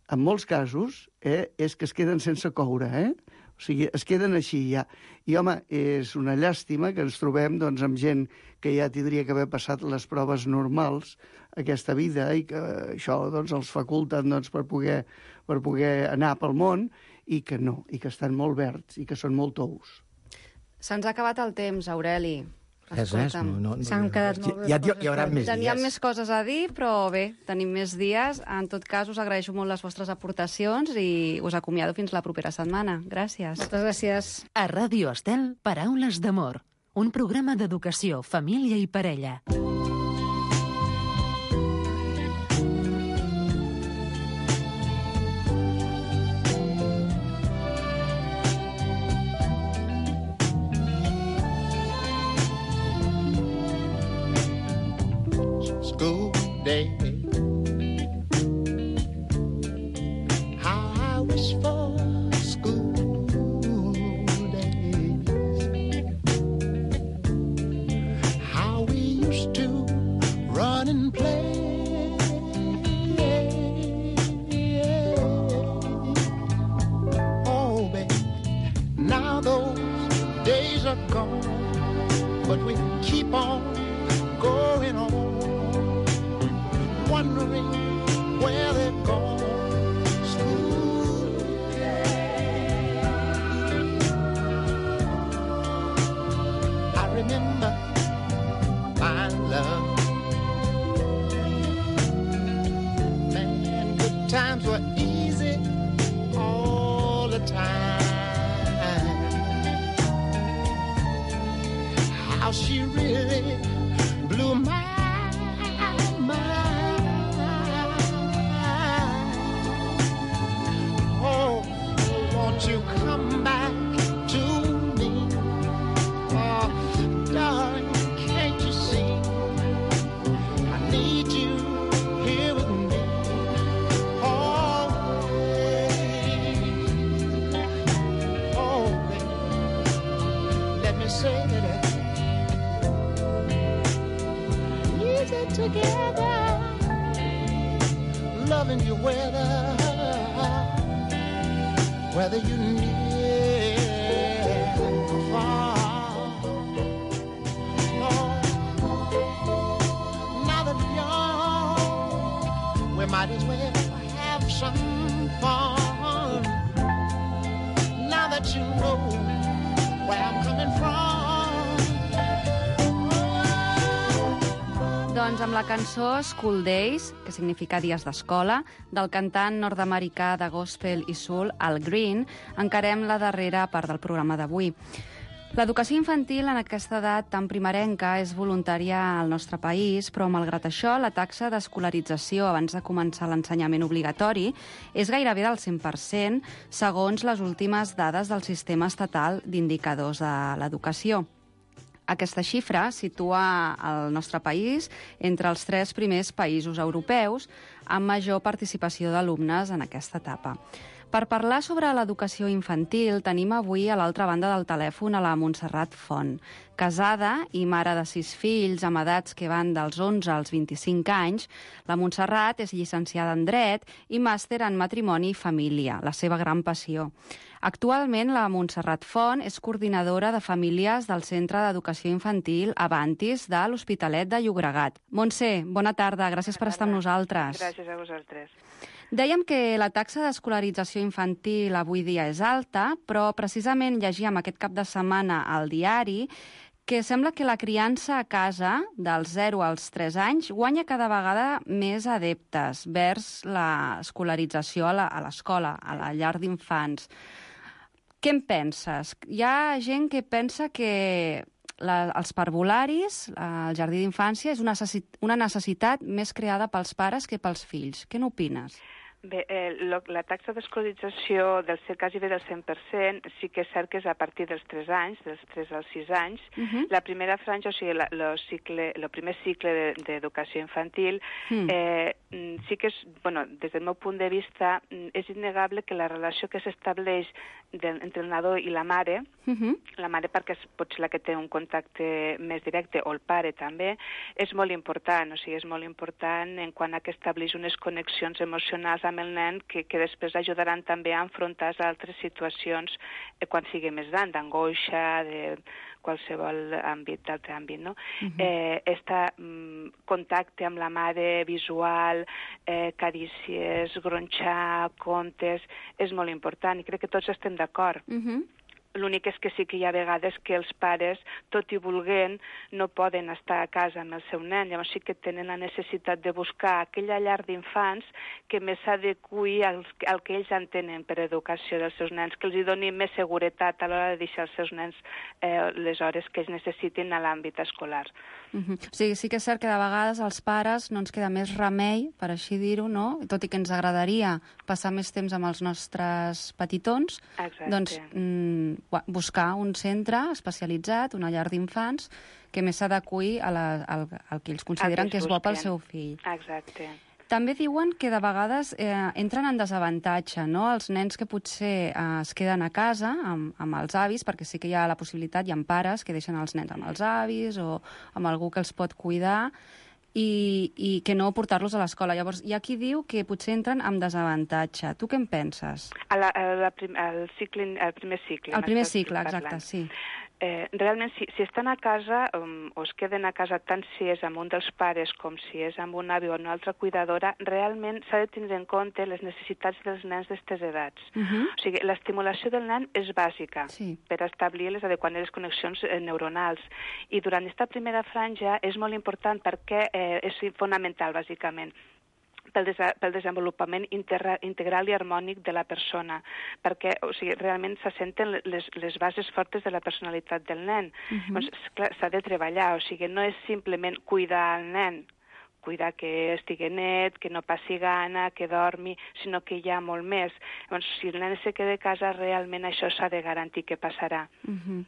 en molts casos, eh, és que es queden sense coure, eh? O sigui, es queden així ja. I, home, és una llàstima que ens trobem doncs, amb gent que ja tindria que haver passat les proves normals aquesta vida i que això doncs, els faculten doncs, per, poder, per poder anar pel món i que no, i que estan molt verds i que són molt tous. Se'ns ha acabat el temps, Aureli. Res, res, no, no, no, S'han quedat molt ja, ja hi haurà més Teníem dies. més coses a dir, però bé, tenim més dies. En tot cas, us agraeixo molt les vostres aportacions i us acomiado fins la propera setmana. Gràcies. Moltes gràcies. A Ràdio Estel, Paraules d'amor. Un programa d'educació, família i parella. School day. How I wish for school days. How we used to run and play. Oh, baby, now those days are gone, but we keep on going on. wondering where they're gone to school. I remember my love. Man, good times were easy all the time. How she really blew my mind. Oh, won't you come back to me? Oh, darling, can't you see? I need you here with me always. Oh, baby, let me say that easy together, loving you whether, whether you near or far. We might as well have some fun. Now that you know where I'm coming from. Doncs amb la cançó School Days, que significa dies d'escola, del cantant nord-americà de gospel i soul, Al Green, encarem la darrera part del programa d'avui. L'educació infantil en aquesta edat tan primerenca és voluntària al nostre país, però malgrat això la taxa d'escolarització abans de començar l'ensenyament obligatori és gairebé del cent per cent, segons les últimes dades del sistema estatal d'indicadors de l'educació. Aquesta xifra situa el nostre país entre els tres primers països europeus amb major participació d'alumnes en aquesta etapa. Per parlar sobre l'educació infantil, tenim avui a l'altra banda del telèfon a la Montserrat Font. Casada i mare de sis fills amb edats que van dels onze als vint-i-cinc anys, la Montserrat és llicenciada en Dret i màster en Matrimoni i Família, la seva gran passió. Actualment, la Montserrat Font és coordinadora de famílies del Centre d'Educació Infantil Avantis de l'Hospitalet de Llobregat. Montse, bona tarda, gràcies per estar amb nosaltres. Gràcies a vosaltres. Dèiem que la taxa d'escolarització infantil avui dia és alta, però precisament llegíem aquest cap de setmana al diari que sembla que la criança a casa dels zero als tres anys guanya cada vegada més adeptes vers l'escolarització a l'escola, a la llar d'infants. Què en penses? Hi ha gent que pensa que la, els parvularis, el jardí d'infància, és una, necessit, una necessitat més creada pels pares que pels fills. Què n'opines? Bé, eh, lo, la taxa d'escolarització del quasi bé del cent per cent sí que és cert que és a partir dels tres anys, dels tres als sis anys. Uh-huh. La primera franja, o sigui, la, lo cicle, lo primer cicle d'educació infantil, uh-huh. eh, sí que és, bueno, des del meu punt de vista, és innegable que la relació que s'estableix entre el nadó i la mare, uh-huh. la mare perquè és potser la que té un contacte més directe, o el pare també, és molt important, o sigui, és molt important en quant a que estableix unes connexions emocionals amb el nen que, que després ajudaran també a enfrontar altres situacions eh, quan sigui més gran, d'angoixa, de qualsevol àmbit, d'altre àmbit, no? Uh-huh. eh, este mm, contacte amb la mare visual, eh, carícies, gronxar, contes, és molt important i crec que tots estem d'acord. Uh-huh. L'únic és que sí que hi ha vegades que els pares, tot i volent, no poden estar a casa amb el seu nen. Llavors sí que tenen la necessitat de buscar aquella llar d'infants que més s'adequi al, al que ells entenen per educació dels seus nens, que els hi doni més seguretat a l'hora de deixar els seus nens eh, les hores que ells necessitin a l'àmbit escolar. Uh-huh. O sigui, sí que és cert que de vegades als pares no ens queda més remei, per així dir-ho, no? Tot i que ens agradaria passar més temps amb els nostres petitons, exacte. Doncs mm, buscar un centre especialitzat, una llar d'infants, que més s'adequi al, al que ells consideren que, que és bo pel seu fill. Exacte. També diuen que de vegades eh, entren en desavantatge, no?, els nens que potser eh, es queden a casa amb, amb els avis, perquè sí que hi ha la possibilitat, hi ha pares que deixen els nens amb els avis o amb algú que els pot cuidar, i, i que no portar-los a l'escola. Llavors, hi ha qui diu que potser entren amb desavantatge. Tu què en penses? A la, a la prim, el, cicle, el primer cicle. El primer cicle, exacte, sí. Eh, realment, si, si estan a casa um, o es queden a casa tant si és amb un dels pares com si és amb un avi o una altra cuidadora, realment s'ha de tenir en compte les necessitats dels nens d'aquestes edats. Uh-huh. O sigui, l'estimulació del nen és bàsica sí. per establir les adequades connexions eh, neuronals. I durant aquesta primera franja és molt important perquè eh, és fonamental, bàsicament, pel, des pel desenvolupament inter integral i harmònic de la persona, perquè o sigui, realment se senten les, les bases fortes de la personalitat del nen. Uh-huh. Doncs, s'ha de treballar, o sigui, no és simplement cuidar el nen, cuidar que estigui net, que no passi gana, que dormi, sinó que hi ha molt més. Doncs, si el nen se queda a casa, realment això s'ha de garantir que passarà. Uh-huh.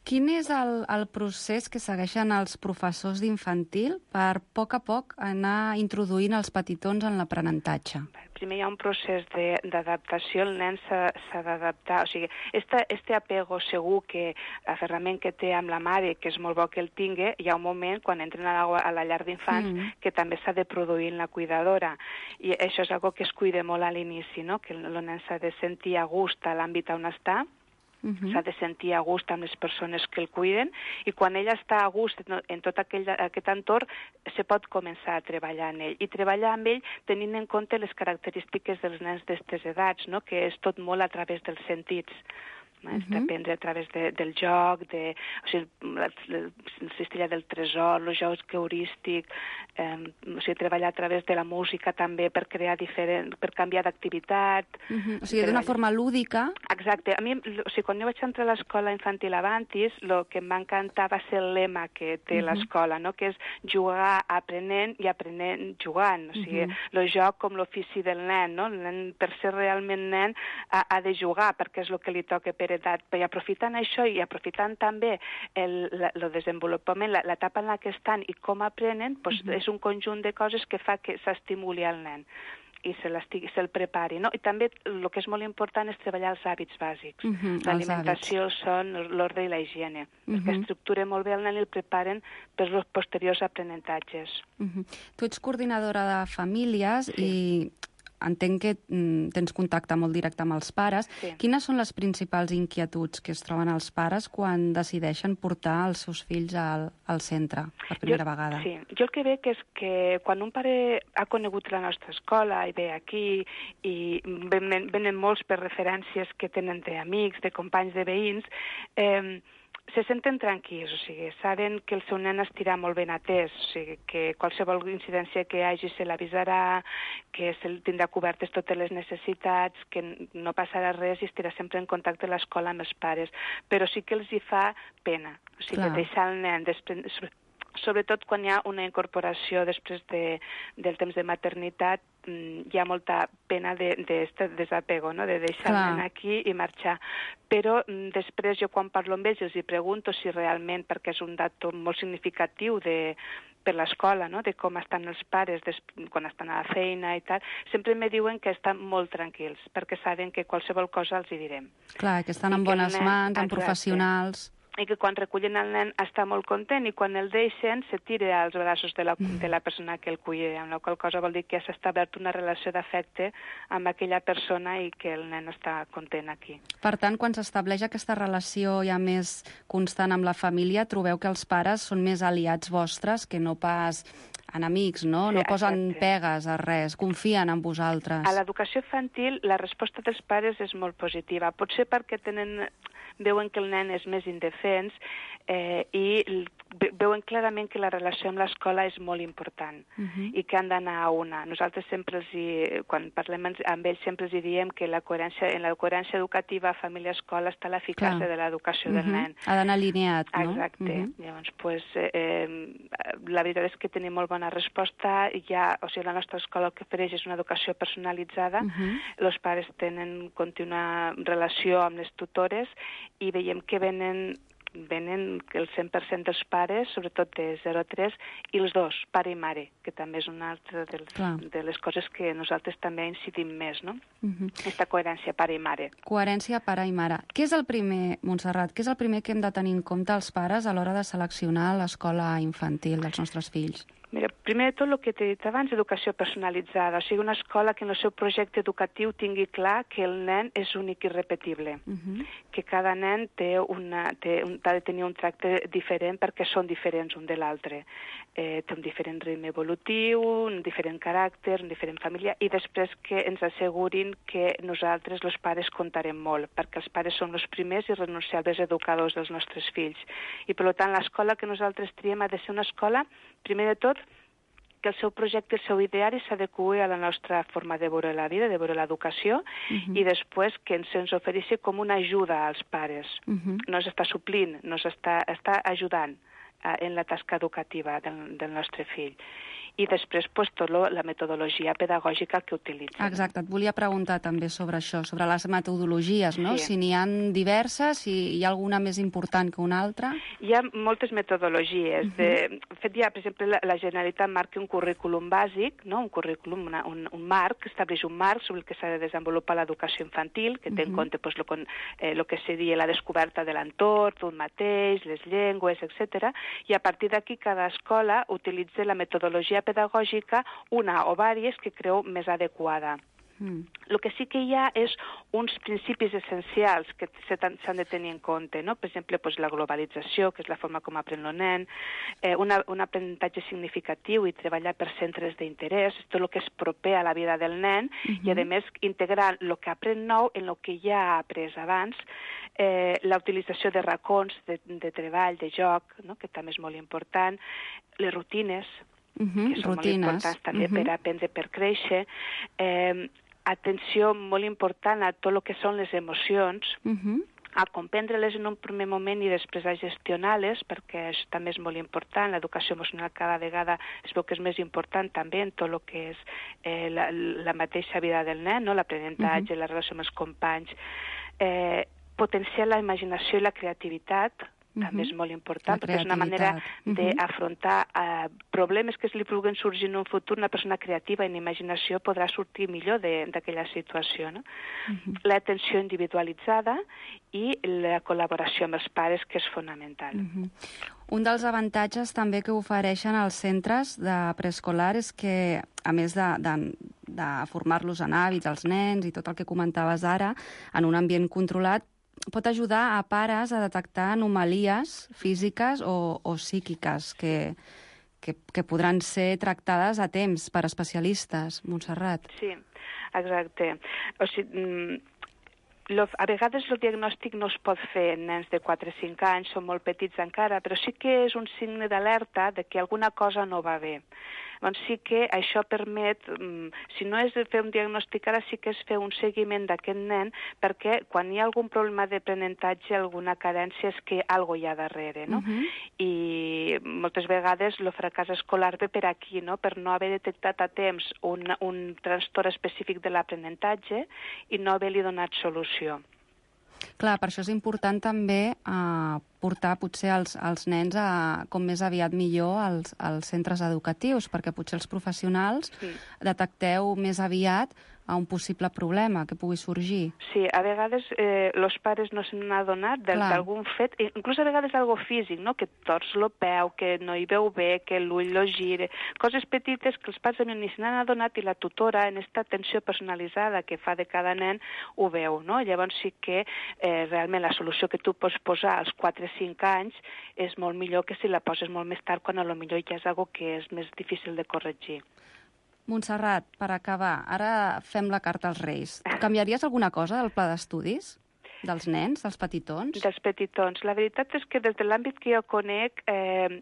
Quin és el, el procés que segueixen els professors d'infantil per, a poc a poc, anar introduint els petitons en l'aprenentatge? Primer hi ha un procés d'adaptació, el nen s'ha d'adaptar. O sigui, este, este apego segur que aferrament que té amb la mare, que és molt bo que el tingui, hi ha un moment, quan entren a la, a la llar d'infants, mm. que també s'ha de produir en la cuidadora. I això és algo que es cuida molt a l'inici, no? Que el nen s'ha de sentir a gust a l'àmbit on està, Uh-huh. s'ha de sentir a gust amb les persones que el cuiden, i quan ella està a gust en tot aquell, aquest entorn, se pot començar a treballar en ell, i treballar amb ell tenint en compte les característiques dels nens d'aquestes edats, no? Que és tot molt a través dels sentits. Uh-huh. D'aprendre a través de, del joc, de, o sigui, la, la, la cistella del tresor, el joc heurístic, eh, o sigui, treballar a través de la música també per crear diferent, per canviar d'activitat. Uh-huh. O sigui, d'una forma lúdica. Exacte. A mi, o sigui, quan jo vaig entrar a l'escola infantil Avantis, el que em va encantar va ser el lema que té uh-huh. l'escola, no? Que és jugar aprenent i aprenent jugant. O sigui, uh-huh. el joc com l'ofici del nen, no? El nen, per ser realment nen, ha, ha de jugar, perquè és el que li toca per edat. I aprofitant això i aprofitant també el, la, el desenvolupament, l'etapa en la que estan i com aprenen, doncs uh-huh. és un conjunt de coses que fa que s'estimuli al nen i se'l se prepari, no? I també el que és molt important és treballar els hàbits bàsics. Uh-huh, l'alimentació, el son, l'ordre i la higiene, uh-huh. perquè estructuren molt bé el nen i el preparen per als posteriors aprenentatges. Uh-huh. Tu ets coordinadora de famílies sí. i entenc que mm, tens contacte molt directe amb els pares. Sí. Quines són les principals inquietuds que es troben els pares quan decideixen portar els seus fills al, al centre per primera jo, vegada? Sí, jo el que veig és que quan un pare ha conegut la nostra escola i ve aquí i venen, venen molts per referències que tenen d'amics, de companys, de veïns, eh, se senten tranquils, o sigui, saben que el seu nen estirà molt ben atès, o sigui, que qualsevol incidència que hi hagi se l'avisarà, que se tindrà cobertes totes les necessitats, que no passarà res i estirà sempre en contacte a l'escola amb els pares. Però sí que els hi fa pena, o sigui, Clar. deixar el nen després, sobretot quan hi ha una incorporació després de, del temps de maternitat, hi ha molta pena d'aquest de, de desapego, no? De deixar el nen aquí i marxar. Però després jo quan parlo amb ells els hi pregunto si realment, perquè és un dato molt significatiu de, per l'escola, no? De com estan els pares des, quan estan a la feina i tal, sempre me diuen que estan molt tranquils, perquè saben que qualsevol cosa els hi direm. Clar, que estan en bones nen, mans, en professionals... I que quan recullen el nen està molt content i quan el deixen se tira als braços de la, de la persona que el cuida, amb la qual cosa vol dir que s'ha establert una relació d'afecte amb aquella persona i que el nen està content aquí. Per tant, quan s'estableix aquesta relació ja més constant amb la família, trobeu que els pares són més aliats vostres que no pas enemics, no? Sí, no posen exacte. pegues a res, confien en vosaltres. A l'educació infantil la resposta dels pares és molt positiva. Potser perquè tenen... veuen que el nen és més indefens eh, i veuen clarament que la relació amb l'escola és molt important uh-huh. i que han d'anar a una. Nosaltres sempre els hi, quan parlem amb ells sempre els hi diem que la coherència, en la coherència educativa família-escola està l'eficàcia de l'educació uh-huh. del nen. Ha d'anar alineat, no? Exacte. Uh-huh. Llavors, pues, eh, la veritat és que tenim molt bona resposta. Ja, o sigui, la nostra escola el que ofereix és una educació personalitzada. Uh-huh. Els pares tenen contínua relació amb les tutores i veiem que venen, venen el cent per cent dels pares, sobretot de zero a tres, i els dos, pare i mare, que també és una altra de les, de les coses que nosaltres també incidim més, no? Uh-huh. Aquesta coherència pare i mare. Coherència pare i mare. Què és el primer, Montserrat, què és el primer que hem de tenir en compte els pares a l'hora de seleccionar l'escola infantil dels nostres fills? Mira, Primer de tot, el que t'he dit abans, educació personalitzada, o sigui, una escola que en el seu projecte educatiu tingui clar que el nen és únic i irrepetible, uh-huh. que cada nen té una, té un, ha de tenir un tracte diferent perquè són diferents un de l'altre. Eh, té un diferent ritme evolutiu, un diferent caràcter, una diferent família, i després que ens assegurin que nosaltres, els pares, comptarem molt, perquè els pares són els primers i renunciables educadors dels nostres fills. I, per tant, l'escola que nosaltres triem ha de ser una escola, primer de tot, que el seu projecte, el seu ideari s'adeqüi a la nostra forma de veure la vida, de veure l'educació, uh-huh. i després que ens, ens ofereixi com una ajuda als pares. Uh-huh. No s'està suplint, no s'està està ajudant eh, en la tasca educativa del, del nostre fill. I després, pues, tot lo, la metodologia pedagògica que utilitzen. Exacte, et volia preguntar també sobre això, sobre les metodologies, no? Sí. Si n'hi ha diverses, si hi ha alguna més important que una altra? Hi ha moltes metodologies. Uh-huh. de, fet, ja, per exemple, la, la Generalitat marca un currículum bàsic, no? un currículum, una, un, un marc, que estableix un marc sobre el que s'ha de desenvolupar l'educació infantil, que té uh-huh. en compte pues, lo, eh, lo que seria la descoberta de l'entorn, d'un mateix, les llengües, etcètera. I a partir d'aquí cada escola utilitza la metodologia pedagògica, una o diverses, que creu més adequada. Mm. El que sí que hi ha és uns principis essencials que s'han de tenir en compte, no? Per exemple, pues, la globalització, que és la forma com aprèn el nen, eh, una, un aprenentatge significatiu i treballar per centres d'interès, tot el que és proper a la vida del nen, mm-hmm. i a més integrar el que aprèn nou en el que ja ha après abans, eh, la utilització de racons de, de treball, de joc, no? Que també és molt important, les rutines, Uh-huh, que són rutines. molt importants també uh-huh. per aprendre, per créixer. Eh, atenció molt important a tot el que són les emocions, uh-huh. a comprendre-les en un primer moment i després a gestionar-les, perquè això també és molt important. L'educació emocional cada vegada es veu que és més important també en tot el que és eh, la, la mateixa vida del nen, no? L'aprenentatge, uh-huh. la relació amb els companys. Eh, potenciar la imaginació i la creativitat, també uh-huh. és molt important, perquè és una manera uh-huh. d'afrontar uh, problemes que li puguen sorgir en un futur. Una persona creativa i en imaginació podrà sortir millor d'aquella situació. No? Uh-huh. L'atenció individualitzada i la col·laboració amb els pares, que és fonamental. Uh-huh. Un dels avantatges també que ofereixen els centres de preescolar és que, a més de, de, de formar-los en hàbits, els nens i tot el que comentaves ara, en un ambient controlat, pot ajudar a pares a detectar anomalies físiques o, o psíquiques que, que, que podran ser tractades a temps per especialistes. Montserrat. Sí, exacte. O sigui, lo, a vegades el diagnòstic no es pot fer en nens de quatre o cinc anys, són molt petits encara, però sí que és un signe d'alerta de que alguna cosa no va bé. Doncs sí que això permet, si no és fer un diagnòstic ara, sí que és fer un seguiment d'aquest nen, perquè quan hi ha algun problema d'aprenentatge, alguna carència, és que alguna cosa hi ha darrere, no? Uh-huh. I moltes vegades el fracàs escolar ve per aquí, no? Per no haver detectat a temps un, un trastorn específic de l'aprenentatge i no haver-li donat solució. Clar, per això és important també eh, portar potser els, els nens a, com més aviat millor als, als centres educatius, perquè potser els professionals sí. detecteu més aviat a un possible problema que pugui sorgir. Sí, a vegades eh, els pares no se n'han adonat d'algun fet, inclús a vegades algo físic, no? Que tors el peu, que no hi veu bé, que l'ull lo gire, coses petites que els pares ni se n'han adonat i la tutora, en aquesta atenció personalitzada que fa de cada nen, ho veu, no? Llavors sí que eh, realment la solució que tu pots posar als quatre o cinc anys és molt millor que si la poses molt més tard, quan a lo millor ja és algo que és més difícil de corregir. Montserrat, per acabar, ara fem la carta als Reis. Canviaries alguna cosa del pla d'estudis? Dels nens, dels petitons? Dels petitons. La veritat és que des de l'àmbit que jo conec, eh,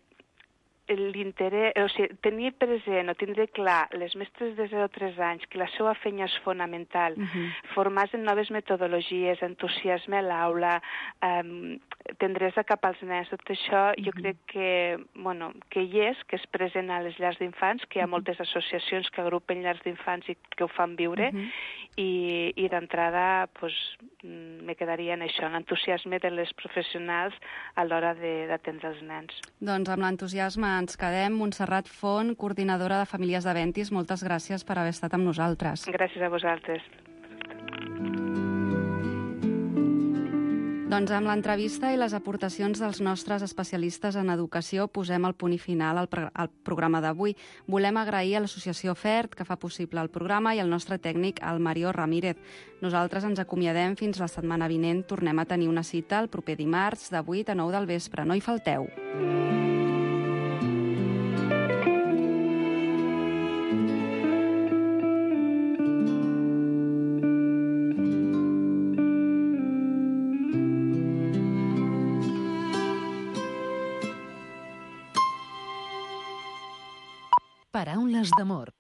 l'interès, o sigui, tenir present o tindre clar les mestres de zero a tres anys que la seva feina és fonamental, uh-huh. formar-se en noves metodologies, entusiasme a l'aula, um, tendresa cap als nens, tot això uh-huh. jo crec que, bueno, que hi és, que és present a les llars d'infants, que hi ha uh-huh. moltes associacions que agrupen llars d'infants i que ho fan viure, uh-huh. i, i d'entrada pues, me quedaria en això, l'entusiasme de les professionals a l'hora d'atendre els nens. Doncs amb l'entusiasme ens quedem. Montserrat Font, coordinadora de Famílies d'Aventis, moltes gràcies per haver estat amb nosaltres. Gràcies a vosaltres. Doncs amb l'entrevista i les aportacions dels nostres especialistes en educació posem el punt i final al, pro al programa d'avui. Volem agrair a l'associació FERT, que fa possible el programa, i al nostre tècnic, el Mario Ramírez. Nosaltres ens acomiadem fins la setmana vinent. Tornem a tenir una cita el proper dimarts de vuit a nou del vespre. No hi falteu. Paraules d'amor.